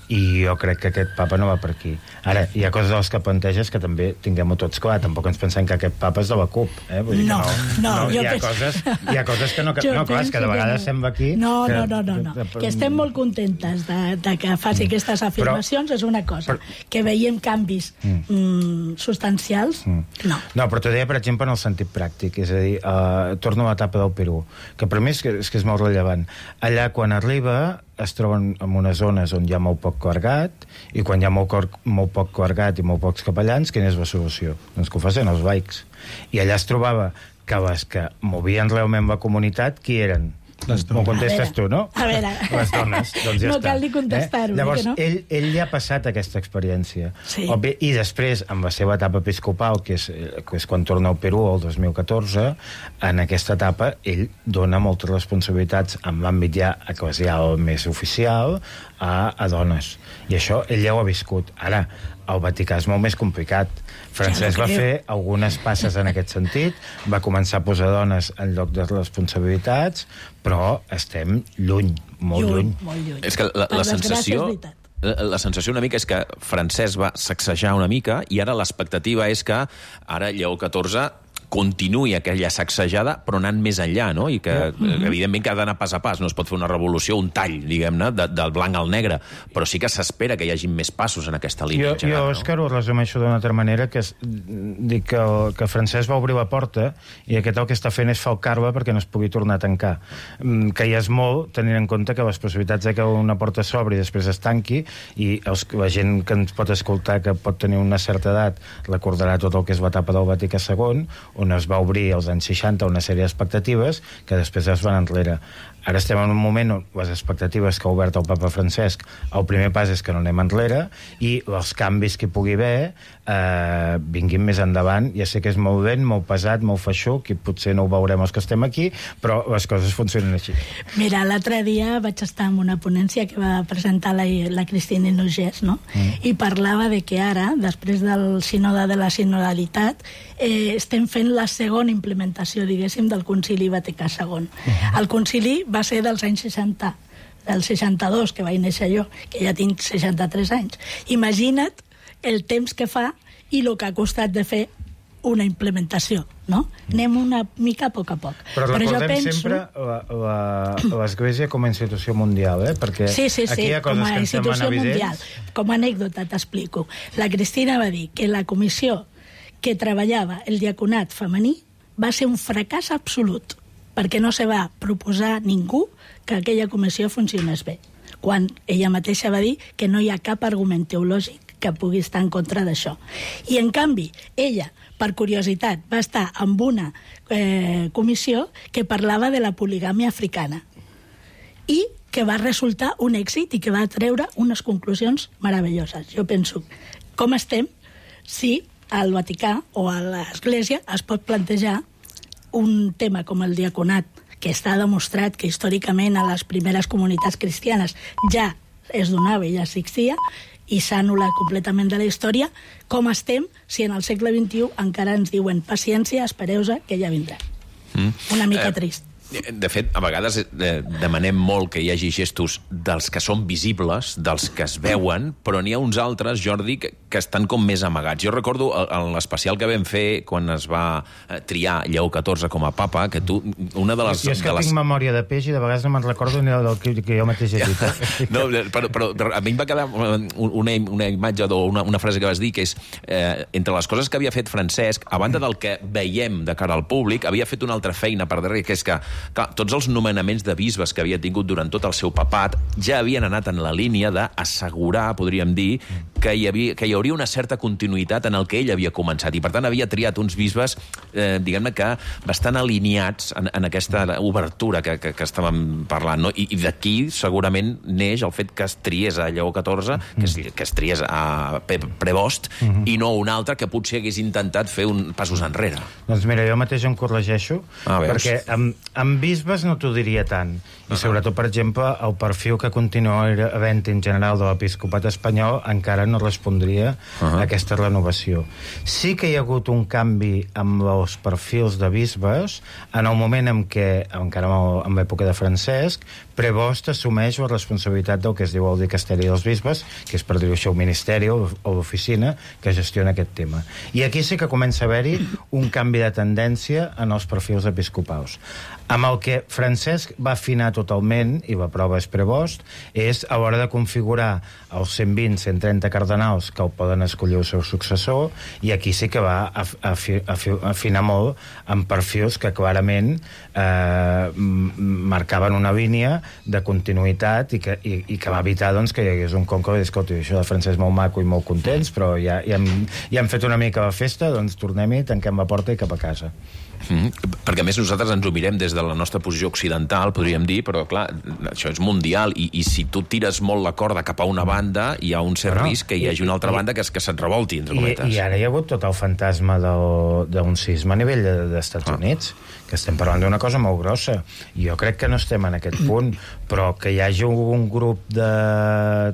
i jo crec que aquest papa no va per aquí. Ara, hi ha coses de les que planteges que també tinguem-ho tots clar. Tampoc ens pensem que aquest papa és de la CUP. Eh? Vull dir No, que no, no, jo hi ha penso- coses, hi ha coses que no... Que, Jo no, clar, és que de penso que vegades no. sembla aquí... No, que, no, no, no, no. que- Que estem molt contentes de, de que faci aquestes afirmacions, és una cosa. Que veiem canvis mm, substancials, no. No, però t'ho deia, per exemple, en el sentit pràctic. És a dir, uh, torno a l'etapa del Perú, que per mi és que, és que és molt rellevant. Allà, quan arriba, es troben en unes zones on hi ha molt poc clergat, i quan hi ha molt, cor, molt poc clergat i molt pocs capellans, quina és la solució? Doncs que ho facin els laics. I allà es trobava que les que movien realment la comunitat, qui eren? M'ho contestes tu, no? A veure. Les dones, doncs ja No està. cal ni contestar-ho, Eh? Llavors, eh, que no? ell, ell ja ha passat aquesta experiència. Sí. Òbvi, i després, amb la seva etapa episcopal, que és, eh, que és quan torna al Perú el dos mil catorze, en aquesta etapa ell dona moltes responsabilitats en l'àmbit ja eclesial més oficial a, a dones. I això ell ja ho ha viscut. Ara, el Vaticà és molt més complicat. Francesc Ja no va creu. fer algunes passes en aquest sentit, va començar a posar dones en lloc de responsabilitats, però estem lluny, molt lluny. Molt lluny. És que la, Per la desgràcia, sensació... és veritat. La, la sensació una mica és que Francesc va sacsejar una mica i ara l'expectativa és que ara Lleó catorze continuï aquella sacsejada, però anant més enllà, no? I que, Mm-hmm. evidentment, que ha d'anar pas a pas. No es pot fer una revolució, un tall, diguem-ne, de, del blanc al negre, però sí que s'espera que hi hagi més passos en aquesta línia. Jo, en general, jo no? Òscar, ho resumeixo d'una altra manera, que és, dic que, el, que Francesc va obrir la porta i aquest el que està fent és falcar-la perquè no es pugui tornar a tancar. Mm, Que ja és molt, tenint en compte que les possibilitats de que una porta s'obri i després es tanqui, i els, la gent que ens pot escoltar, que pot tenir una certa edat, recordarà tot el que és l'etapa del Vaticà segon, on es va obrir als anys seixanta una sèrie d'expectatives que després es van enrere. Ara estem en un moment on les expectatives que ha obert el papa Francesc, el primer pas és que no anem enrere, i els canvis que hi pugui haver eh, vinguin més endavant. Ja sé que és molt vent, molt pesat, molt feixuc, i potser no ho veurem els que estem aquí, però les coses funcionen així. Mira, l'altre dia vaig estar en una ponència que va presentar la, la Cristina Inogés, no? Mm. I parlava de que ara, després del sínode de la sinodalitat, eh, estem fent la segona implementació, diguéssim, del Concili Vaticà segon. Mm. El concili va ser dels anys seixanta, del seixanta-dos, que vaig néixer jo, que ja tinc seixanta-tres anys. Imagina't el temps que fa i el que ha costat de fer una implementació, no? Anem una mica a poc a poc. Però recordem jo penso... sempre l'Església com a institució mundial, eh? Perquè Sí, sí, sí, aquí hi ha com coses a que ens semblen institució mundial. evidents. Com a anècdota t'explico. La Cristina va dir que la comissió que treballava el diaconat femení va ser un fracàs absolut, perquè no se va proposar ningú que aquella comissió funcionés bé, quan ella mateixa va dir que no hi ha cap argument teològic que pugui estar en contra d'això. I, en canvi, ella, per curiositat, va estar amb una eh, comissió que parlava de la poligàmia africana i que va resultar un èxit i que va treure unes conclusions meravelloses. Jo penso, com estem si al Vaticà o a l'Església es pot plantejar un tema com el diaconat, que està demostrat que històricament a les primeres comunitats cristianes ja es donava i ja existia, i s'ha anul·lat completament de la història, com estem si en el segle vint-i-u encara ens diuen paciència, espereu-se, que ja vindrà. Mm. Una mica eh... trist. De fet, a vegades eh, demanem molt que hi hagi gestos dels que són visibles, dels que es veuen, però n'hi ha uns altres, Jordi, que, que estan com més amagats. Jo recordo en l'especial que vam fer quan es va triar Lleó catorze com a papa, que tu, una de les... Jo és que les... tinc memòria de peix i de vegades no me'n recordo ni del que, que jo mateix he dit. No, però, però, però a mi em va quedar una, una imatge o una, una frase que vas dir, que és, eh, entre les coses que havia fet Francesc, a banda del que veiem de cara al públic, havia fet una altra feina per darrere, que és que clar, tots els nomenaments de bisbes que havia tingut durant tot el seu papat ja havien anat en la línia d'assegurar, podríem dir, que hi, havia, que hi hauria una certa continuïtat en el que ell havia començat. I, per tant, havia triat uns bisbes, eh, diguem-ne que bastant alineats en, en aquesta obertura que, que, que estàvem parlant. No? I, i d'aquí, segurament, neix el fet que es triés a Lleó catorze, que es, que es triés a Prevost, mm-hmm. i no un altre que potser hagués intentat fer un passos enrere. Doncs mira, jo mateix em corregeixo, ah, perquè amb, amb bisbes no t'ho diria tant. I uh-huh. sobretot, per exemple, el perfil que continua havent en general de l'episcopat espanyol encara no respondria uh-huh. a aquesta renovació. Sí que hi ha hagut un canvi amb els perfils de bisbes en el moment en què, encara en l'època de Francesc, Prevost assumeix la responsabilitat del que es diu el dicasteri dels bisbes, que és, per dir-ho així, el ministeri o l'oficina que gestiona aquest tema. I aquí sí que comença a haver-hi un canvi de tendència en els perfils episcopals. Amb el que Francesc va afinar totalment, i la prova és Prevost, és a l'hora de configurar els cent vint a cent trenta cardenals que el poden escollir el seu successor, i aquí sí que va afinar molt amb perfils que clarament eh, marcaven una línia de continuïtat i que, i, i que va evitar doncs, que hi hagués un conco i dir, escolta, això de Francesc molt maco i molt contents, però ja, ja, hem, ja hem fet una mica la festa, doncs tornem-hi, tanquem la porta i cap a casa. Mm, perquè a més nosaltres ens ho mirem des de la nostra posició occidental, podríem dir, però clar, això és mundial i, i si tu tires molt la corda cap a una banda hi ha un cert no, risc que hi hagi una altra i, banda que, que se't revolti, entre cometes. I, I ara hi ha hagut tot el fantasma d'un sisme a nivell dels Estats ah. Units, que estem parlant d'una cosa molt grossa. Jo crec que no estem en aquest punt, però que hi hagi un grup de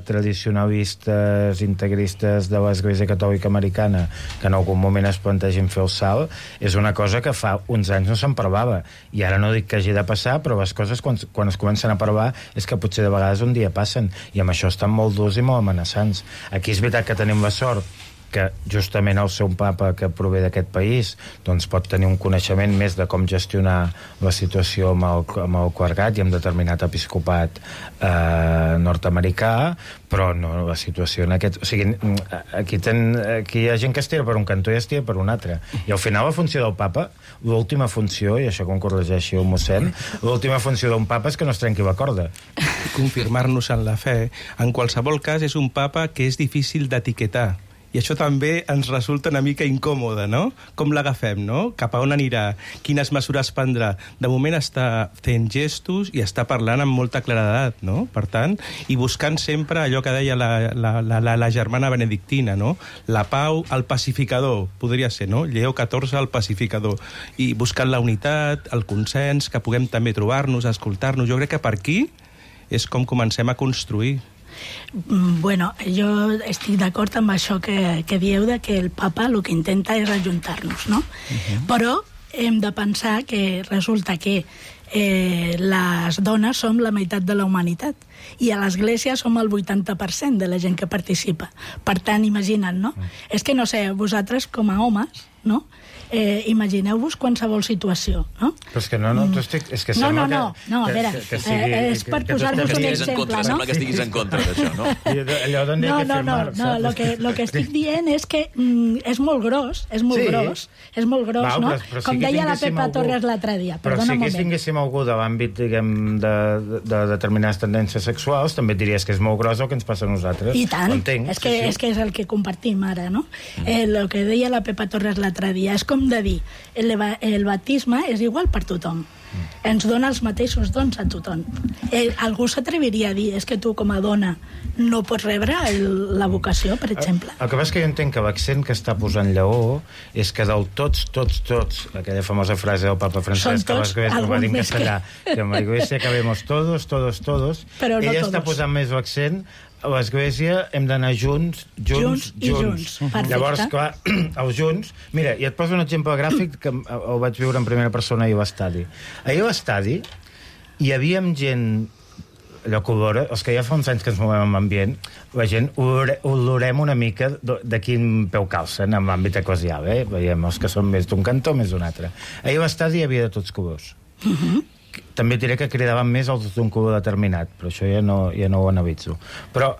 tradicionalistes, integristes de l'Església Catòlica Americana que en algun moment es plantegin fer el salt, és una cosa que fa uns anys no se'n parlava. I ara no dic que hagi de passar, però les coses quan, quan es comencen a parlar és que potser de vegades un dia passen, i amb això estan molt durs i molt amenaçants. Aquí és veritat que tenim la sort que justament el seu papa, que prové d'aquest país, doncs pot tenir un coneixement més de com gestionar la situació amb el, amb el clergat i amb determinat episcopat eh, nord-americà, però no la situació en aquest... O sigui, aquí, ten, aquí hi ha gent que es tira per un cantó i es tira per un altre. I al final la funció del papa, l'última funció, i això com corregeixi el mossèn, l'última funció d'un papa és que no es trenqui la corda. Confirmar-nos en la fe. En qualsevol cas, és un papa que és difícil d'etiquetar. I això també ens resulta una mica incòmode, no? Com l'agafem, no? Cap a on anirà? Quines mesures prendrà? De moment està fent gestos i està parlant amb molta claredat, no? Per tant, i buscant sempre allò que deia la, la, la, la, la germana benedictina, no? La pau, el pacificador, podria ser, no? Lleó catorze, el pacificador. I buscant la unitat, el consens, que puguem també trobar-nos, escoltar-nos. Jo crec que per aquí és com comencem a construir. Bueno, jo estic d'acord amb això que, que dieu de que el papa el que intenta és ajuntar-nos, no? Uh-huh. Però hem de pensar que resulta que eh, les dones som la meitat de la humanitat i a l'Església som el vuitanta per cent de la gent que participa. Per tant, imagina't, no? Uh-huh. És que, no sé, vosaltres com a homes, no? Eh, imagineu-vos qualsevol situació, no? Però és que no, no, tu estic... És que no, no, no, que, no, a veure, que, que sigui, eh, és per posar-vos un exemple, contra, no? Sembla que estiguis en contra d'això, no? Allò d'on hi ha no, que no, firmar, no, no, lo que, lo que estic dient és que mm, és molt gros, és molt sí. gros, és molt gros, Val, no? Però, però Com sí deia la Pepa algú... Torres l'altre dia, però perdona si un moment. Però si tinguéssim tenim algú de l'àmbit, diguem, de, de, de determinades tendències sexuals, també et diries que és molt gros el que ens passa a nosaltres. I tant, entenc, és, que, sí, sí. és que és el que compartim ara, no? Mm. Eh, el que deia la Pepa Torres l'altre dia, és com de dir, el, el batisme és igual per tothom. Mm. Ens dona els mateixos dons a tothom. Eh, algú s'atreviria a dir, és que tu com a dona no pots rebre el, la vocació, per exemple. El, el que passa és que jo entenc que l'accent que està posant Lleó és que del tots, tots, tots, aquella famosa frase del papa Francesc, que l'església ho va dir en castellà, que, que en la iglesia cabemos todos, todos, todos, però no ella todos. Està posant més l'accent a l'església hem d'anar junts, junts, junts i junts. junts. Llavors, clar, els junts... Mira, i et poso un exemple gràfic que el vaig viure en primera persona ahir a l'estadi. Ahir a l'estadi hi havia gent... allò que olora, els que ja fa uns anys que ens movem en ambient, la gent olore, olorem una mica de quin peu calcen en l'àmbit eclesial, eh? Veiem els que són més d'un cantó, més d'un altre. Ahir a l'estadi hi havia de tots colors. Uh-huh. També diré que cridaven més els d'un color determinat, però això ja no, ja no ho analitzo. Però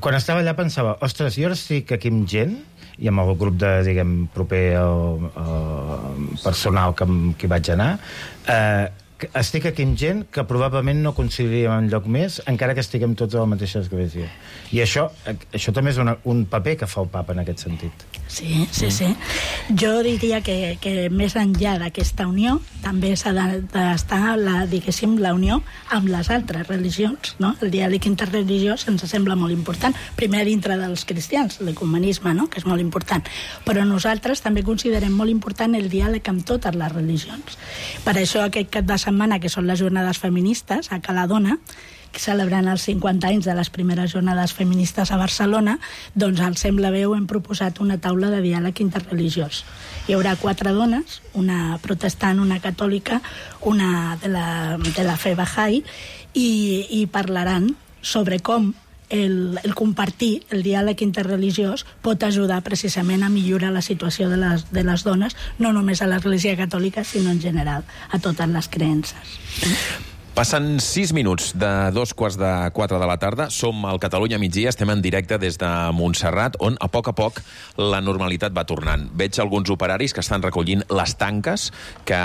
quan estava allà pensava, ostres, jo ara estic aquí amb gent, i amb el grup de, diguem, proper al, al personal que, que hi vaig anar, eh, estic aquí amb gent que probablement no coincidiríem en lloc més, encara que estiguem tots a la mateixa església. I això, això també és una, un paper que fa el papa en aquest sentit. Sí, sí, sí. Jo diria que, que més enllà d'aquesta unió també s'ha d'estar, la, diguéssim, la unió amb les altres religions, no? El diàleg interreligiós ens sembla molt important, primer dintre dels cristians, l'ecumenisme, no? Que és molt important, però nosaltres també considerem molt important el diàleg amb totes les religions. Per això aquest cap de setmana, que són les jornades feministes a Cala Dona, celebrant els cinquanta anys de les primeres jornades feministes a Barcelona, doncs al Sembla Veu hem proposat una taula de diàleg interreligiós. Hi haurà quatre dones, una protestant, una catòlica, una de la, de la fe Bahá'í, i, i parlaran sobre com el, el compartir, el diàleg interreligiós, pot ajudar precisament a millorar la situació de les, de les dones, no només a l'Església Catòlica, sinó en general a totes les creences. Passen sis minuts de dos quarts de quatre de la tarda. Som al Catalunya migdia, estem en directe des de Montserrat, on a poc a poc la normalitat va tornant. Veig alguns operaris que estan recollint les tanques que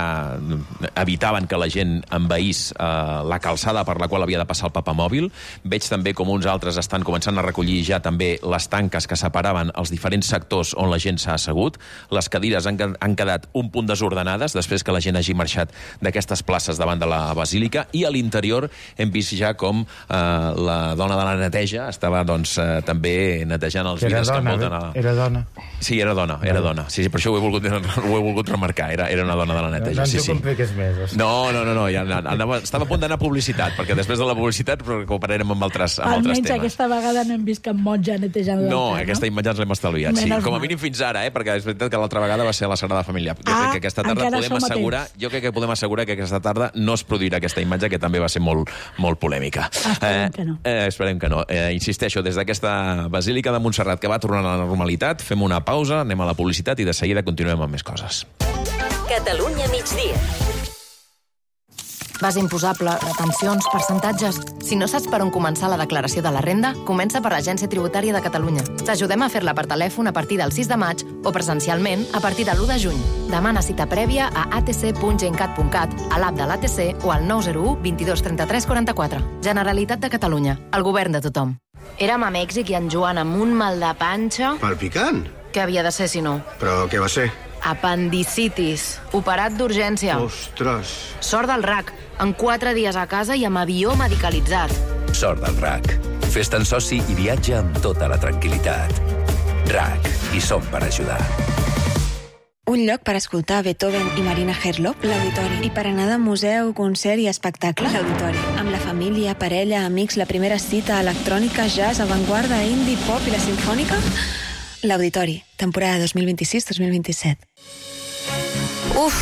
evitaven que la gent envaís eh, la calçada per la qual havia de passar el papamòbil. Veig també com uns altres estan començant a recollir ja també les tanques que separaven els diferents sectors on la gent s'ha assegut. Les cadires han, han quedat un punt desordenades després que la gent hagi marxat d'aquestes places davant de la basílica, i a l'interior hem vist ja com eh, la dona de la neteja estava doncs, eh, també netejant els vidres que envolten a la... Era dona. Sí, era dona, era dona. Sí, sí, per això ho he volgut, ho he volgut remarcar. Era, era una dona de la neteja. No, sí, sí. Més, no, no, no, no, ja anava, estava a punt d'anar a publicitat, perquè després de la publicitat recuperarem amb altres, amb altres temes. Almenys aquesta vegada no hem vist cap monja netejant l'altar, no? No, aquesta imatge ens l'hem estalviat, sí. Com a mínim fins ara, eh? Perquè és veritat que l'altra vegada va ser a la Sagrada Família. Jo ah, crec que aquesta tarda podem assegurar, jo crec que podem assegurar que aquesta tarda no es produirà aquesta imatge, que també va ser molt, molt polèmica. Esperem eh, que no. Eh, esperem que no. Eh, insisteixo, des d'aquesta Basílica de Montserrat que va tornant a la normalitat, fem una pausa, anem a la publicitat i de seguida continuem amb més coses. Catalunya migdia. Base imposable, retencions, percentatges... Si no saps per on començar la declaració de la renda, comença per l'Agència Tributària de Catalunya. T'ajudem a fer-la per telèfon a partir del sis de maig o presencialment a partir de l'u de juny. Demana cita prèvia a a t c punt gencat punt cat, a l'app de l'A T C o al nou zero u vint dos trenta tres quaranta quatre. Generalitat de Catalunya, el govern de tothom. Érem a Mèxic i en Joan amb un mal de panxa... Palpicant? Què havia de ser, si no? Però què va ser? Apendicitis. Operat d'urgència. Ostres. Sort del R A C. En quatre dies a casa i amb avió medicalitzat. Sort del R A C. Fes-te'n soci i viatja amb tota la tranquil·litat. R A C. Hi som per ajudar. Un lloc per escoltar Beethoven i Marina Herlop, l'Auditori. I per anar de museu, concert i espectacle, l'Auditori. Amb la família, parella, amics, la primera cita, electrònica, jazz, avantguarda, indie, pop i la sinfònica... L'Auditori, temporada dos mil vint-i-sis dos mil vint-i-set. Uf,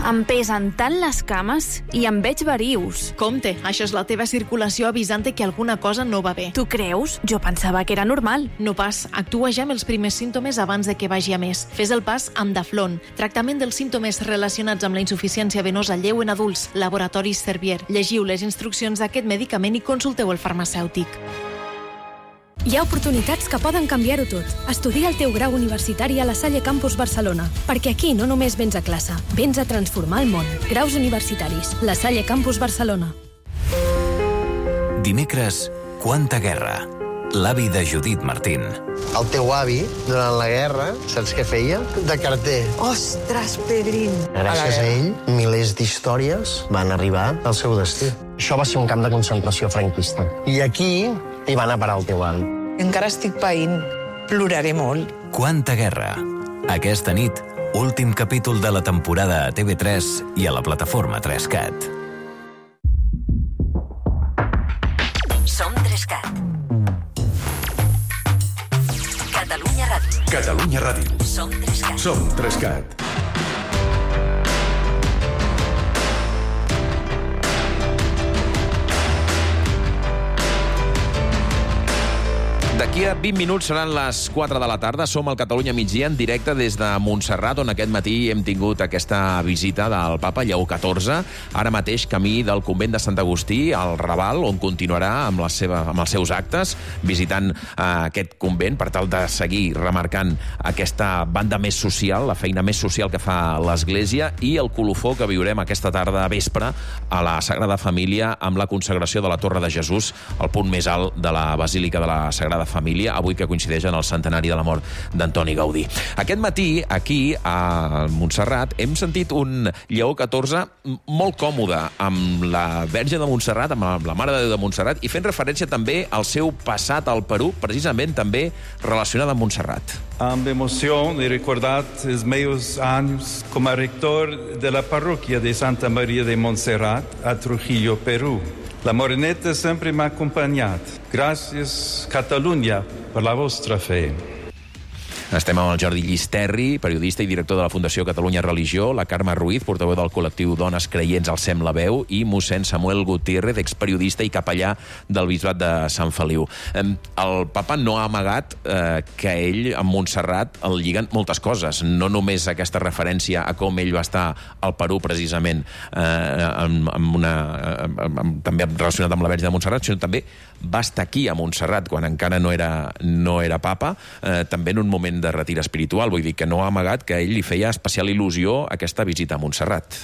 em pesen tant les cames i em veig verius. Compte, això és la teva circulació avisant que alguna cosa no va bé. Tu creus? Jo pensava que era normal. No pas, actua ja amb els primers símptomes abans de que vagi a més. Fes el pas amb Daflon, tractament dels símptomes relacionats amb la insuficiència venosa lleu en adults, Laboratoris Servier. Llegiu les instruccions d'aquest medicament i consulteu el farmacèutic. Hi ha oportunitats que poden canviar-ho tot. Estudia el teu grau universitari a la Salle Campus Barcelona, perquè aquí no només vens a classe, vens a transformar el món. Graus universitaris. La Salle Campus Barcelona. Dimecres, Quanta guerra. L'avi de Judit Martín. El teu avi, durant la guerra, saps què feia? De carter. Ostres, Pedrín! Gràcies a ell, milers d'històries van arribar al seu destí. Això va ser un camp de concentració franquista. I aquí hi va anar a parar el teu avi. Encara estic païnt. Ploraré molt. Quanta guerra. Aquesta nit, últim capítol de la temporada a T V tres i a la plataforma tres cat. Som tres cat. Catalunya Ràdio. Catalunya Ràdio. Som tres cat. Som tres cat. D'aquí a vint minuts seran les quatre de la tarda. Som al Catalunya Migdia en directe des de Montserrat, on aquest matí hem tingut aquesta visita del papa Lleó catorze, ara mateix camí del convent de Sant Agustí, al Raval, on continuarà amb, la seva, amb els seus actes, visitant eh, aquest convent per tal de seguir remarcant aquesta banda més social, la feina més social que fa l'Església, i el colofó que viurem aquesta tarda a vespre a la Sagrada Família amb la consagració de la Torre de Jesús, el punt més alt de la Basílica de la Sagrada Família, avui que coincideix en el centenari de la mort d'Antoni Gaudí. Aquest matí, aquí, a Montserrat, hem sentit un Lleó catorze molt còmode amb la Verge de Montserrat, amb la Mare de Déu de Montserrat, i fent referència també al seu passat al Perú, precisament també relacionat amb Montserrat. Amb emoció he recordat els meus anys com a rector de la parroquia de Santa Maria de Montserrat a Trujillo, Perú. La moreneta sempre m'ha acompanyat. Gràcies, Catalunya, per la vostra fe. Estem amb el Jordi Llisterri, periodista i director de la Fundació Catalunya Religió, la Carme Ruiz, portaveu del col·lectiu Dones Creients al Sem la Veu, i mossèn Samuel Gutiérrez, experiodista i capellà del Bisbat de Sant Feliu. El papa no ha amagat eh, que ell, amb Montserrat, el lliguen moltes coses. No només aquesta referència a com ell va estar al Perú, precisament, eh, amb, amb una, amb, amb, també relacionat amb la Verge de Montserrat, sinó també va estar aquí a Montserrat quan encara no era, no era papa, eh, també en un moment de retir espiritual. Vull dir que no ha amagat que a ell li feia especial il·lusió aquesta visita a Montserrat.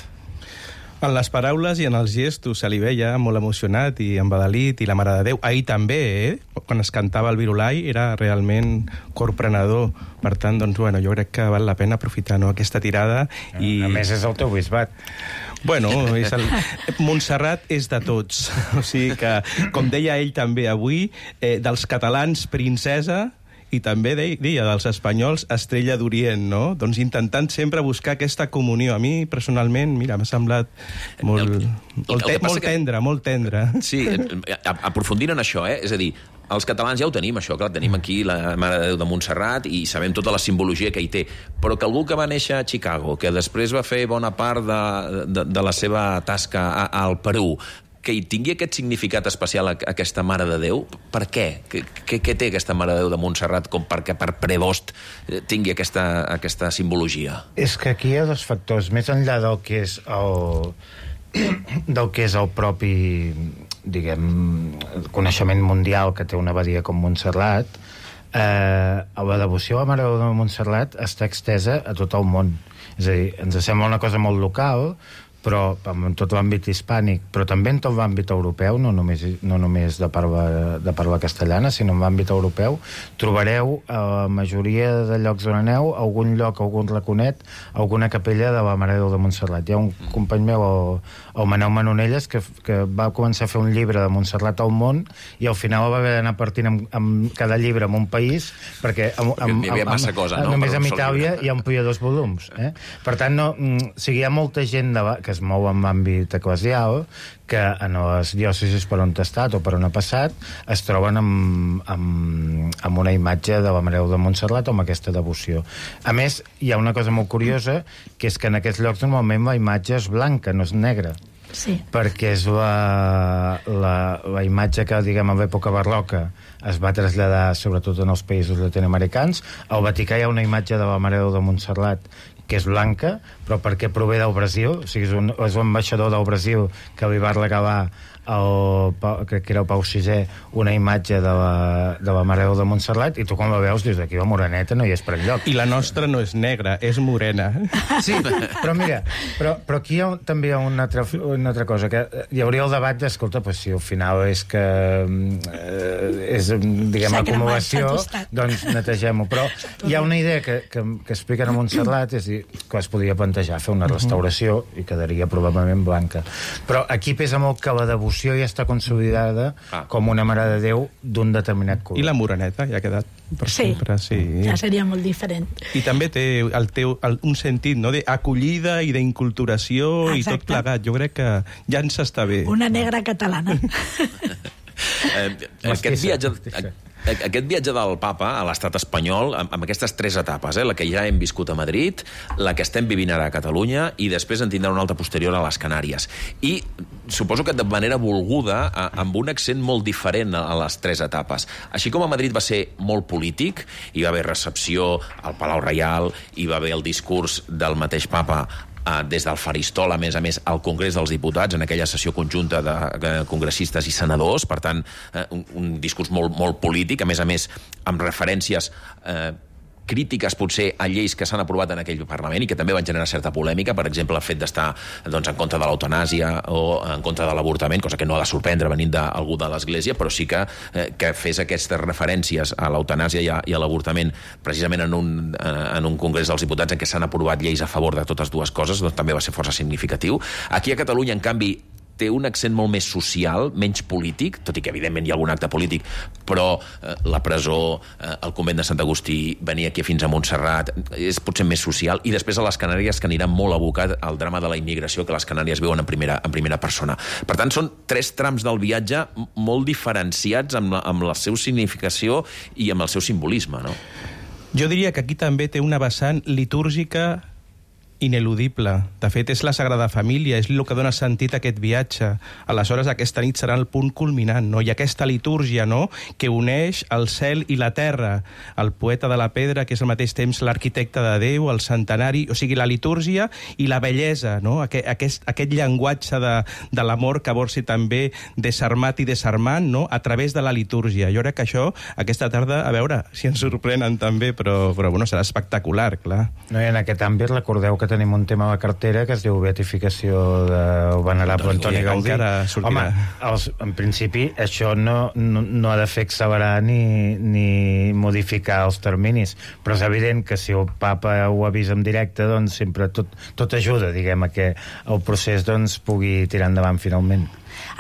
En les paraules i en els gestos se li veia molt emocionat i embadalit, i la Mare de Déu. Ahir també, eh? Quan es cantava el Virulai, era realment corprenedor. Per tant, doncs, bueno, jo crec que val la pena aprofitar, no?, aquesta tirada. I... A més, és el teu bisbat. Bueno, és el... Montserrat és de tots. O sigui que, com deia ell també avui, eh, dels catalans, princesa, i també deia dels espanyols Estrella d'Orient, no? Doncs intentant sempre buscar aquesta comunió. A mi, personalment, mira, m'ha semblat molt, el, molt, te, molt tendre, que... molt tendre. Sí, aprofundint en això, eh? És a dir, els catalans ja ho tenim, això, clar, tenim aquí la Mare de Déu de Montserrat i sabem tota la simbologia que hi té, però que algú que va néixer a Chicago, que després va fer bona part de, de, de la seva tasca a, al Perú, que hi tingui aquest significat especial a aquesta Mare de Déu, per què? Què, què té aquesta Mare de Déu de Montserrat com perquè per prebost tingui aquesta, aquesta simbologia? És que aquí hi ha dos factors. Més enllà del que és el, del que és el propi, diguem, coneixement mundial que té una abadia com Montserrat, eh, la devoció a la Mare de Déu de Montserrat està extesa a tot el món. És a dir, ens sembla una cosa molt local, però en tot l'àmbit hispànic, però també en tot l'àmbit europeu, no només, no només de, parla, de parla castellana, sinó en l'àmbit europeu, trobareu a la majoria de llocs on aneu algun lloc, algun raconet, alguna capella de la Mare de Déu de Montserrat. Hi ha un company meu, el, el Manel Manonelles, que, que va començar a fer un llibre de Montserrat al món i al final va haver d'anar partint amb, amb cada llibre en un país, perquè amb, amb, hi havia massa amb, cosa, no? Només amb Itàlia hi amplia dos volums. Eh? Per tant, no, o sigui, hi ha molta gent de, que es mou en l'àmbit eclesial, que en les diòcesis per on ha estat o per on ha passat es troben amb, amb, amb una imatge de la Mare de Déu de Montserrat o amb aquesta devoció. A més, hi ha una cosa molt curiosa, que és que en aquests llocs normalment la imatge és blanca, no és negra. Sí. Perquè és la, la, la imatge que, diguem, en l'època barroca es va traslladar sobretot en els països llatinoamericans. Al Vaticà hi ha una imatge de la Mare de Déu de Montserrat que és blanca, però perquè prové del Brasil, o sigui, és un, és un ambaixador del Brasil que li va regalar el, crec que era el Pau sisè, una imatge de la, de la Mare de Déu de Montserrat, i tu quan la veus dius, aquí la moreneta no hi és per enlloc. I la nostra no és negra, és morena. Sí, però mira, però, però aquí hi ha, també hi ha una altra, una altra cosa, que hi hauria el debat d'escolta, pues, si al final és que eh, és, diguem, acumulació, doncs netegem-ho. Però hi ha una idea que, que, que expliquen a Montserrat, és dir, que es podria plantejar fer una restauració i quedaria probablement blanca. Però aquí pesa molt que la devoció ja està consolidada ah. com una Mare de Déu d'un determinat color. I la moreneta ja ha quedat per sí, sempre. Sí, ja seria molt diferent. I també té el teu, el, un sentit, no?, d'acollida i d'inculturació i tot plegat. Jo crec que ja ens està bé. Una negra catalana. eh, aquest viatge... Aquest viatge del papa a l'estat espanyol, amb, amb aquestes tres etapes, eh, la que ja hem viscut a Madrid, la que estem vivint ara a Catalunya i després en tindrà una altra posterior a les Canàries. I suposo que de manera volguda, a, amb un accent molt diferent a, a les tres etapes. Així com a Madrid va ser molt polític, hi va haver recepció al Palau Reial, hi va haver el discurs del mateix papa des del faristol, a més a més, al Congrés dels Diputats, en aquella sessió conjunta de congressistes i senadors, per tant, un, un discurs molt, molt polític, a més a més, amb referències eh, crítiques potser a lleis que s'han aprovat en aquell Parlament i que també van generar certa polèmica, per exemple, el fet d'estar doncs, en contra de l'eutanàsia o en contra de l'avortament, cosa que no ha de sorprendre venint d'algú de l'Església, però sí que, eh, que fes aquestes referències a l'eutanàsia i a, i a l'avortament precisament en un, en un Congrés dels Diputats en què s'han aprovat lleis a favor de totes dues coses, doncs també va ser força significatiu. Aquí a Catalunya, en canvi, té un accent molt més social, menys polític, tot i que evidentment hi ha algun acte polític, però eh, la presó, eh, el convent de Sant Agustí, venir aquí fins a Montserrat, és potser més social, i després a les Canàries, que anirà molt abocat al drama de la immigració que les Canàries viuen en primera, en primera persona. Per tant, són tres trams del viatge molt diferenciats amb la, amb la seva significació i amb el seu simbolisme, no? Jo diria que aquí també té una vessant litúrgica ineludible. De fet, és la Sagrada Família, és el que dona sentit a aquest viatge. Aleshores, aquesta nit serà el punt culminant, no? I aquesta litúrgia, no?, que uneix el cel i la terra, el poeta de la pedra, que és al mateix temps l'arquitecte de Déu, el centenari, o sigui, la litúrgia i la bellesa, no?, aquest, aquest, aquest llenguatge de, de l'amor que vol ser també desarmat i desarmant, no?, a través de la litúrgia. Jo crec que això, aquesta tarda, a veure si ens sorprenen també, però, però bueno, serà espectacular, clar. No, i en aquest àmbit recordeu que tenim un tema a la cartera que es diu beatificació del venerable Antoni Gaudí. Home, els, en principi això no, no, no ha de fer accelerar ni, ni modificar els terminis, però és evident que si el papa ho avisa en directe, doncs sempre tot, tot ajuda, diguem, a que el procés doncs, pugui tirar endavant finalment.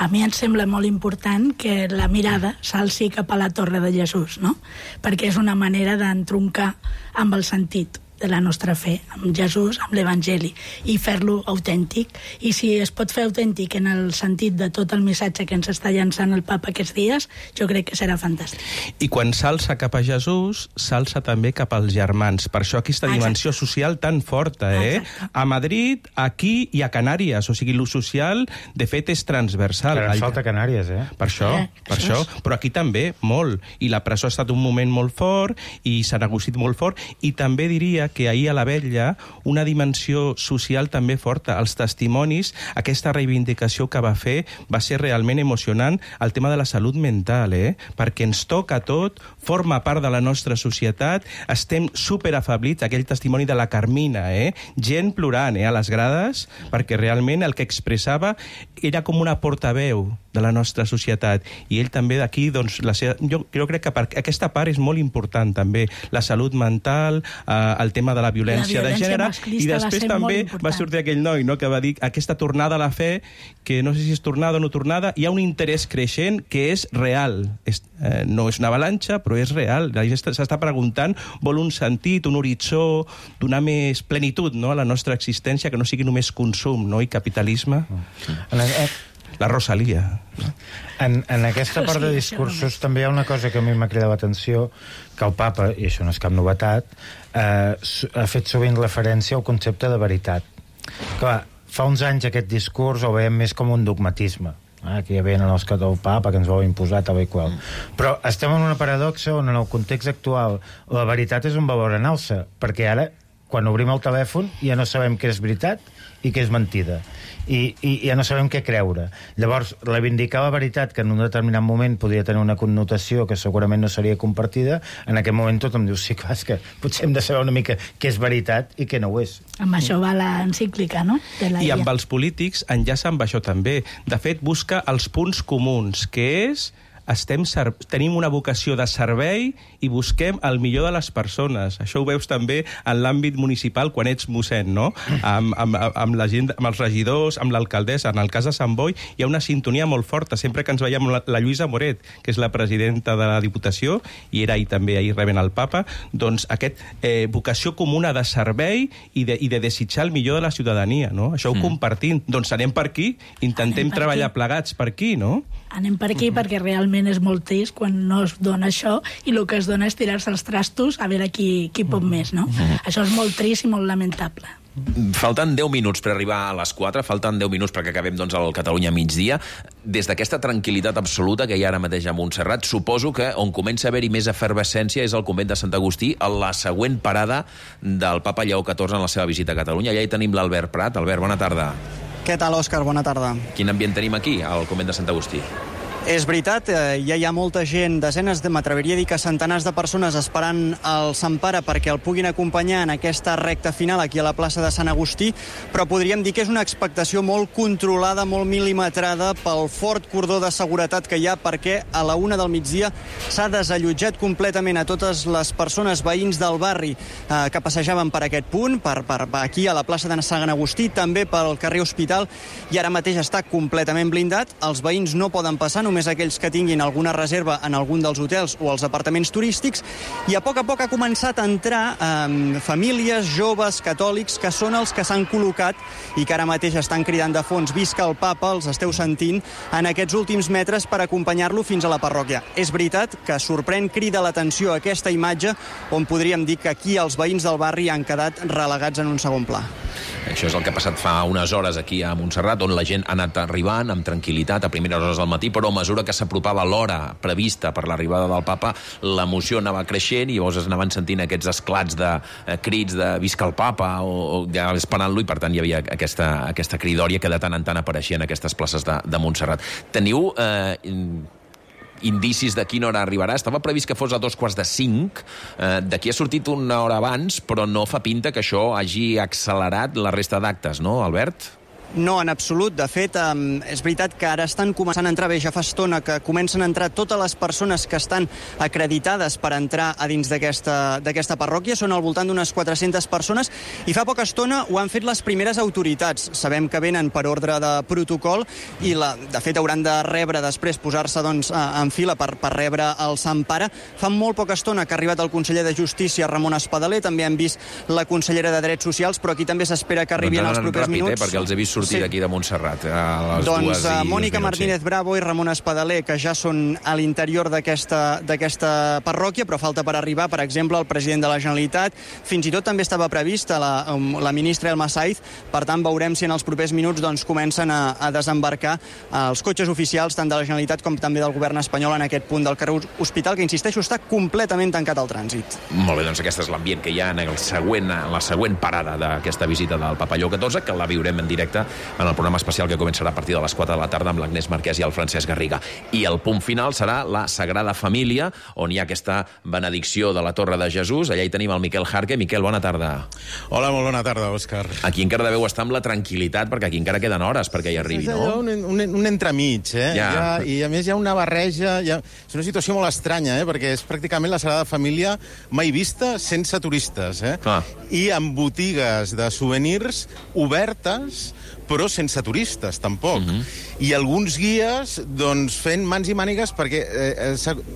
A mi em sembla molt important que la mirada s'alci cap a la Torre de Jesús, no? Perquè és una manera d'entroncar amb el sentit de la nostra fe, amb Jesús, amb l'Evangeli, i fer-lo autèntic. I si es pot fer autèntic en el sentit de tot el missatge que ens està llançant el papa aquests dies, jo crec que serà fantàstic. I quan s'alça cap a Jesús, s'alça també cap als germans. Per això aquesta dimensió Exacte. social tan forta, eh? Exacte. A Madrid, aquí i a Canàries. O sigui, lo social, de fet, és transversal. Però ens falta Canàries, eh? Per això, eh, per això. això. Però aquí també, molt. I la presó ha estat un moment molt fort, i s'ha negociat molt fort, i també diria que ahir a la Vetlla una dimensió social també forta. Els testimonis, aquesta reivindicació que va fer va ser realment emocionant, el tema de la salut mental, eh? Perquè ens toca tot, forma part de la nostra societat, estem superafablits, aquell testimoni de la Carmina, eh? Gent plorant, eh, a les grades, perquè realment el que expressava era com una portaveu de la nostra societat, i ell també d'aquí, doncs, la seva... jo, jo crec que per... aquesta part és molt important també, la salut mental, eh, el tema de la violència, la violència de gènere, i després també va sortir aquell noi, no?, que va dir aquesta tornada a la fe, que no sé si és tornada o no tornada, hi ha un interès creixent que és real, és, eh, no és una avalanxa, però és real, la gent s'està preguntant, vol un sentit, un horitzó, donar més plenitud, no?, a la nostra existència, que no sigui només consum, no?, i capitalisme. La Rosalia. En, en aquesta part de discursos també hi ha una cosa que a mi m'ha cridat l'atenció, que el papa, i això no és cap novetat, eh, ha fet sovint referència al concepte de veritat. Clar, fa uns anys aquest discurs el veiem més com un dogmatisme. Ah, que ja venen els que del papa, que ens vol imposar tal i qual. Però estem en una paradoxa on en el context actual la veritat és un valor en alça, perquè ara quan obrim el telèfon ja no sabem què és veritat i què és mentida. I, i ja no sabem què creure. Llavors, reivindicar la veritat, que en un determinat moment podria tenir una connotació que segurament no seria compartida, en aquest moment tothom diu, sí, clar, és que potser hem de saber una mica què és veritat i què no ho és. Amb això va l'encíclica, no? De la I I A. amb els polítics enllaça amb això també. De fet, busca els punts comuns, que és... Estem tenim una vocació de servei i busquem el millor de les persones. Això ho veus també en l'àmbit municipal quan ets mossèn, no? Amb, amb, amb, la gent, amb els regidors, amb l'alcaldessa. En el cas de Sant Boi hi ha una sintonia molt forta. Sempre que ens veiem la, la Lluïsa Moret, que és la presidenta de la Diputació, i era ahir també, ahir rebent el papa, doncs aquest eh, vocació comuna de servei i de, i de desitjar el millor de la ciutadania, no? Això ho mm. compartim. Doncs anem per aquí, intentem per treballar aquí. Plegats per aquí, no? Anem per aquí mm-hmm. perquè realment és molt trist quan no es dona això i el que es dona és tirar-se els trastos a veure qui, qui pot més, no? Mm-hmm. Això és molt trist i molt lamentable. Falten deu minuts per arribar a les quatre, falten deu minuts perquè acabem doncs, el Catalunya migdia. Des d'aquesta tranquil·litat absoluta que hi ha ara mateix a Montserrat, suposo que on comença a haver-hi més efervescència és el convent de Sant Agustí, a la següent parada del papa Lleó catorze en la seva visita a Catalunya. Allà hi tenim l'Albert Prat. Albert, bona tarda. Què tal, Òscar? Bona tarda. Quin ambient tenim aquí, al convent de Sant Agustí? És veritat, eh, ja hi ha molta gent, desenes de, m'atreviria a dir que centenars de persones esperant el Sant Pare perquè el puguin acompanyar en aquesta recta final aquí a la plaça de Sant Agustí, però podríem dir que és una expectació molt controlada, molt mil·limetrada pel fort cordó de seguretat que hi ha, perquè a la una del migdia s'ha desallotjat completament a totes les persones veïns del barri eh, que passejaven per aquest punt, per, per aquí a la plaça de Sant Agustí, també pel carrer Hospital, i ara mateix està completament blindat. Els veïns no poden passar, només aquells que tinguin alguna reserva en algun dels hotels o els apartaments turístics, i a poc a poc ha començat a entrar eh, famílies, joves, catòlics, que són els que s'han col·locat i que ara mateix estan cridant de fons «Visca el papa», els esteu sentint en aquests últims metres per acompanyar-lo fins a la parròquia. És veritat que sorprèn, crida l'atenció aquesta imatge on podríem dir que aquí els veïns del barri han quedat relegats en un segon pla. Això és el que ha passat fa unes hores aquí a Montserrat, on la gent ha anat arribant amb tranquil·litat a primeres hores del matí, però a mesura que s'apropava l'hora prevista per l'arribada del papa, l'emoció anava creixent i llavors es anaven sentint aquests esclats de eh, crits de «Visca el papa» o, o ja esperant-lo, i per tant hi havia aquesta, aquesta cridòria que de tant en tant apareixia en aquestes places de, de Montserrat. Teniu eh, indicis de quina hora arribarà? Estava previst que fos a dos quarts de cinc. Eh, D'aquí ha sortit una hora abans, però no fa pinta que això hagi accelerat la resta d'actes, no, Albert? No, en absolut. De fet, eh, és veritat que ara estan començant a entrar, bé, ja fa estona que comencen a entrar totes les persones que estan acreditades per entrar a dins d'aquesta d'aquesta parròquia. Són al voltant d'unes quatre-centes persones i fa poca estona ho han fet les primeres autoritats. Sabem que venen per ordre de protocol i, la, de fet, hauran de rebre després, posar-se doncs, en fila per, per rebre el Sant Pare. Fa molt poca estona que ha arribat el conseller de Justícia, Ramon Espadaler, també hem vist la consellera de Drets Socials, però aquí també s'espera que arribi en els propers ràpid, minuts. Eh, perquè els he vist sortir sí. d'aquí de Montserrat a les doncs, dues i Mònica minuts, Martínez sí. Bravo i Ramon Espadaler, que ja són a l'interior d'aquesta parròquia, però falta per arribar, per exemple, el president de la Generalitat. Fins i tot també estava prevista la, la ministra Elma Saiz. Per tant, veurem si en els propers minuts doncs, comencen a, a desembarcar els cotxes oficials tant de la Generalitat com també del govern espanyol en aquest punt del carrer Hospital, que, insisteixo, està completament tancat al trànsit. Molt bé, doncs aquest és l'ambient que hi ha en el següent, en la següent parada d'aquesta visita del Papa Lleó catorze, que la viurem en directe en el programa especial que començarà a partir de les quatre de la tarda amb l'Agnès Marquès i el Francesc Garriga. I el punt final serà la Sagrada Família, on hi ha aquesta benedicció de la Torre de Jesús. Allà hi tenim el Miquel Jarque. Miquel, bona tarda. Hola, molt bona tarda, Òscar. Aquí encara deveu estar amb la tranquil·litat, perquè aquí encara queden hores perquè hi arribi, és no? Un, un, un entremig, eh? Ja. Ja, I a més hi ha una barreja... Ha... És una situació molt estranya, eh? Perquè és pràcticament la Sagrada Família mai vista sense turistes, eh? Ah. I amb botigues de souvenirs obertes, però sense turistes, tampoc. Uh-huh. I alguns guies, doncs, fent mans i mànigues, perquè eh,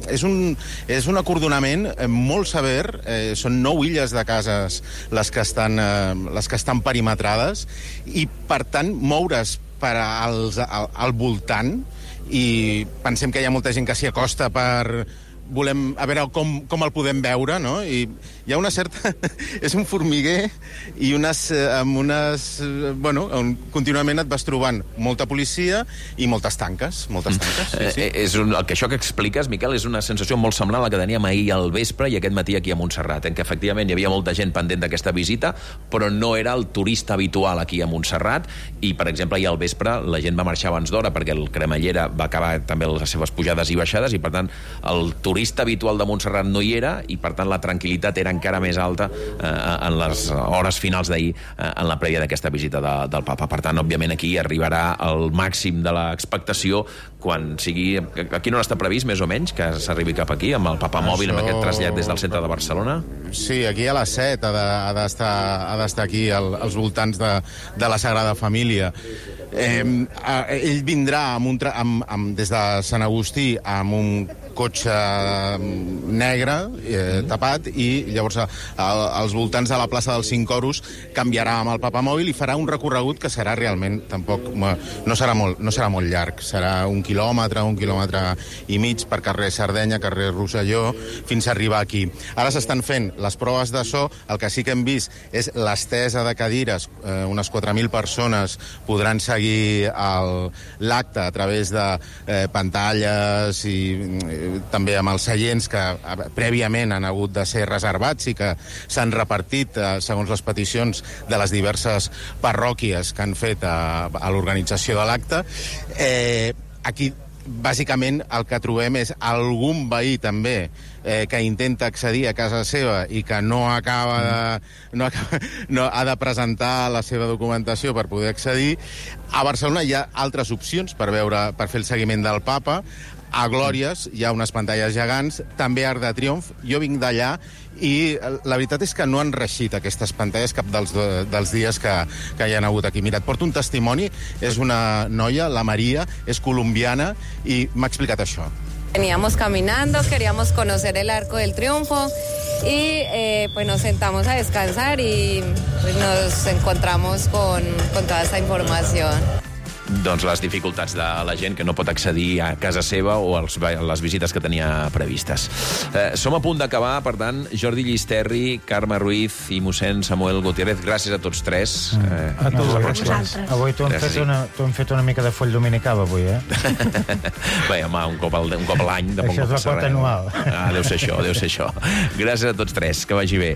és, un, és un acordonament molt sever, eh, són nou illes de cases les que estan, eh, les que estan perimetrades, i, per tant, moure's per als, al, al voltant, i pensem que hi ha molta gent que s'hi acosta per volem a veure com, com el podem veure, no? I hi ha una certa... és un formiguer i unes, amb unes... Bueno, on contínuament et vas trobant molta policia i moltes tanques. Moltes tanques, sí, sí. Eh, és un, el que això que expliques, Miquel, és una sensació molt semblant a la que teníem ahir al vespre i aquest matí aquí a Montserrat, en què efectivament hi havia molta gent pendent d'aquesta visita, però no era el turista habitual aquí a Montserrat, i, per exemple, ahir al vespre la gent va marxar abans d'hora perquè el Cremallera va acabar també les seves pujades i baixades, i, per tant, el turista habitual de Montserrat no hi era, i, per tant, la tranquil·litat era encara més alta eh, en les hores finals d'ahir, eh, en la prèvia d'aquesta visita de, del papa. Per tant, òbviament, aquí arribarà el màxim de l'expectació quan sigui... Aquí no està previst, més o menys, que s'arribi cap aquí, amb el papa mòbil, amb aquest trasllat des del centre de Barcelona? Sí, aquí a les set ha d'estar ha d'estar aquí al, als voltants de, de la Sagrada Família. Eh, ell vindrà amb un tra amb, amb, des de Sant Agustí amb un cotxe negre eh, tapat, i llavors a, a, als voltants de la plaça dels Cinc Oros canviarà amb el papamòbil i farà un recorregut que serà realment tampoc no serà molt, no serà molt llarg, serà un quilòmetre, un quilòmetre i mig per carrer Sardenya, carrer Rosselló, fins a arribar aquí. Ara s'estan fent les proves de so, el que sí que hem vist és l'estesa de cadires, eh, unes quatre mil persones podran seguir l'acte a través de eh, pantalles i eh, també amb els seients que prèviament han hagut de ser reservats i que s'han repartit eh, segons les peticions de les diverses parròquies que han fet a, a l'organització de l'acte. Eh, aquí, bàsicament, el que trobem és algun veí també eh, que intenta accedir a casa seva i que no acaba de... No acaba, no, ha de presentar la seva documentació per poder accedir. A Barcelona hi ha altres opcions per veure, per fer el seguiment del papa. A Glòries hi ha unes pantalles gegants, també a Arc de Triomf. Jo vinc d'allà i la veritat és que no han reixit aquestes pantalles cap dels, dels dies que, que hi han hagut aquí. Mira, et porto un testimoni, és una noia, la Maria, és colombiana, i m'ha explicat això. Veníamos caminando, queríamos conocer el Arco del Triunfo y eh, pues nos sentamos a descansar y pues, nos encontramos con, con toda esta información. Doncs les dificultats de la gent que no pot accedir a casa seva o als, les visites que tenia previstes. Eh, som a punt d'acabar, per tant, Jordi Llisterri, Carme Ruiz i mossèn Samuel Gutiérrez, gràcies a tots tres. Eh, a tots vosaltres. Avui t'ho hem, fet una, t'ho hem fet una mica de foll dominical, avui, eh? Bé, home, un cop, al, un cop a l'any... Això és la quota anual. Ah, deu ser això, deu ser això. Gràcies a tots tres, que vagi bé.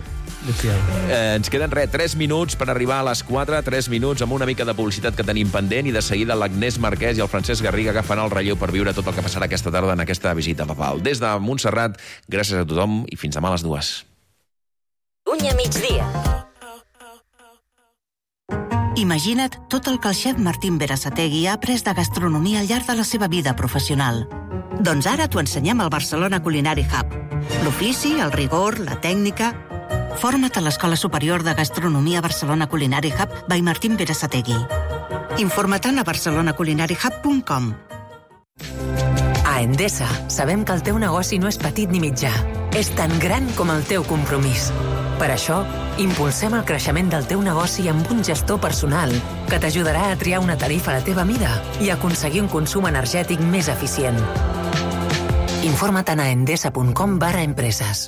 Eh, ens queden res, tres minuts per arribar a les quatre, tres minuts amb una mica de publicitat que tenim pendent, i de seguida l'Agnès Marquès i el Francesc Garriga agafen el relleu per viure tot el que passarà aquesta tarda en aquesta visita papal. Des de Montserrat, gràcies a tothom i fins demà a les dues. Catalunya migdia. Imagina't tot el que el xef Martín Berasategui ha après de gastronomia al llarg de la seva vida professional. Doncs ara t'ho ensenyem al Barcelona Culinary Hub. L'ofici, el rigor, la tècnica... Forma't a l'Escola Superior de Gastronomia Barcelona Culinary Hub by Martín Berasategui. Informa't a barcelona culinary hub punt com. A Endesa sabem que el teu negoci no és petit ni mitjà. És tan gran com el teu compromís. Per això, impulsem el creixement del teu negoci amb un gestor personal que t'ajudarà a triar una tarifa a la teva mida i aconseguir un consum energètic més eficient. Informa't a endesa punt com barra empreses.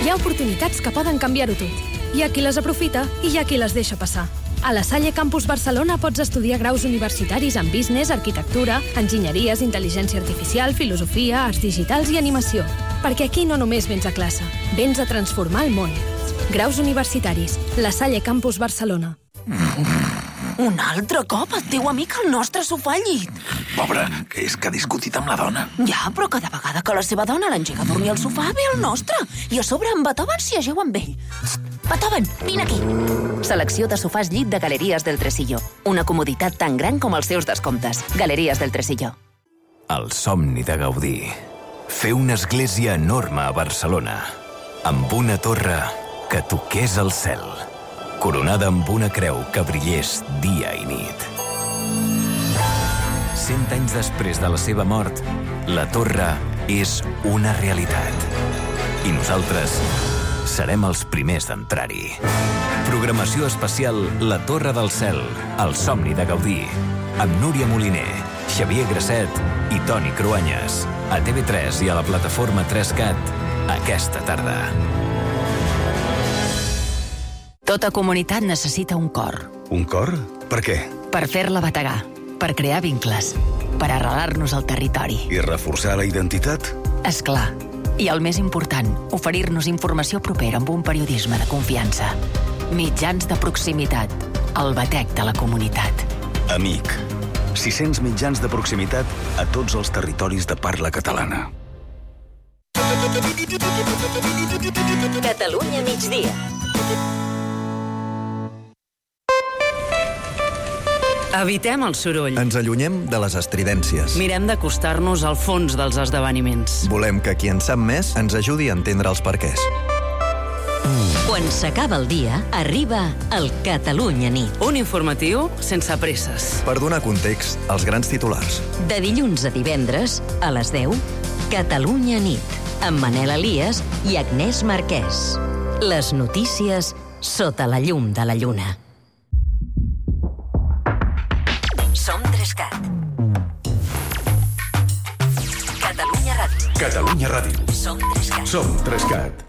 Hi ha oportunitats que poden canviar-ho tot. Hi ha qui les aprofita i hi ha qui les deixa passar. A la Salle Campus Barcelona pots estudiar graus universitaris en business, arquitectura, enginyeries, intel·ligència artificial, filosofia, arts digitals i animació. Perquè aquí no només vens a classe, vens a transformar el món. Graus universitaris. La Salle Campus Barcelona. Un altre cop el teu amic al nostre sofà al llit. Pobre, que és que ha discutit amb la dona. Ja, però cada vegada que la seva dona l'engega a dormir al sofà ve el nostre. I a sobre en Beethoven s'hi ageu amb ell. Beethoven, vine aquí. Selecció de sofàs llit de Galeries del Tresillo. Una comoditat tan gran com els seus descomptes. Galeries del Tresillo. El somni de Gaudí. Fer una església enorme a Barcelona, amb una torre que toqués el cel, coronada amb una creu que brillés dia i nit. Cent anys després de la seva mort, la torre és una realitat. I nosaltres serem els primers d'entrar-hi. Programació especial La Torre del Cel, el somni de Gaudí, amb Núria Moliner, Xavier Grasset i Toni Cruanyes. A T V tres i a la plataforma tres cat aquesta tarda. Tota comunitat necessita un cor. Un cor? Per què? Per fer-la bategar, per crear vincles, per arrelar-nos al territori. I reforçar la identitat? És clar. I el més important, oferir-nos informació propera amb un periodisme de confiança. Mitjans de proximitat, el batec de la comunitat. Amic. sis-cents mitjans de proximitat a tots els territoris de parla catalana. Catalunya migdia. Evitem el soroll. Ens allunyem de les estridències. Mirem d'acostar-nos al fons dels esdeveniments. Volem que qui en sap més ens ajudi a entendre els perquès. Quan s'acaba el dia, arriba el Catalunya nit. Un informatiu sense presses. Per donar context als grans titulars. De dilluns a divendres, a les deu, Catalunya nit, amb Manel Elias i Agnès Marquès. Les notícies sota la llum de la lluna. Som tres cat. Catalunya Ràdio. Catalunya Ràdio. Som tres cat. Som tres cat.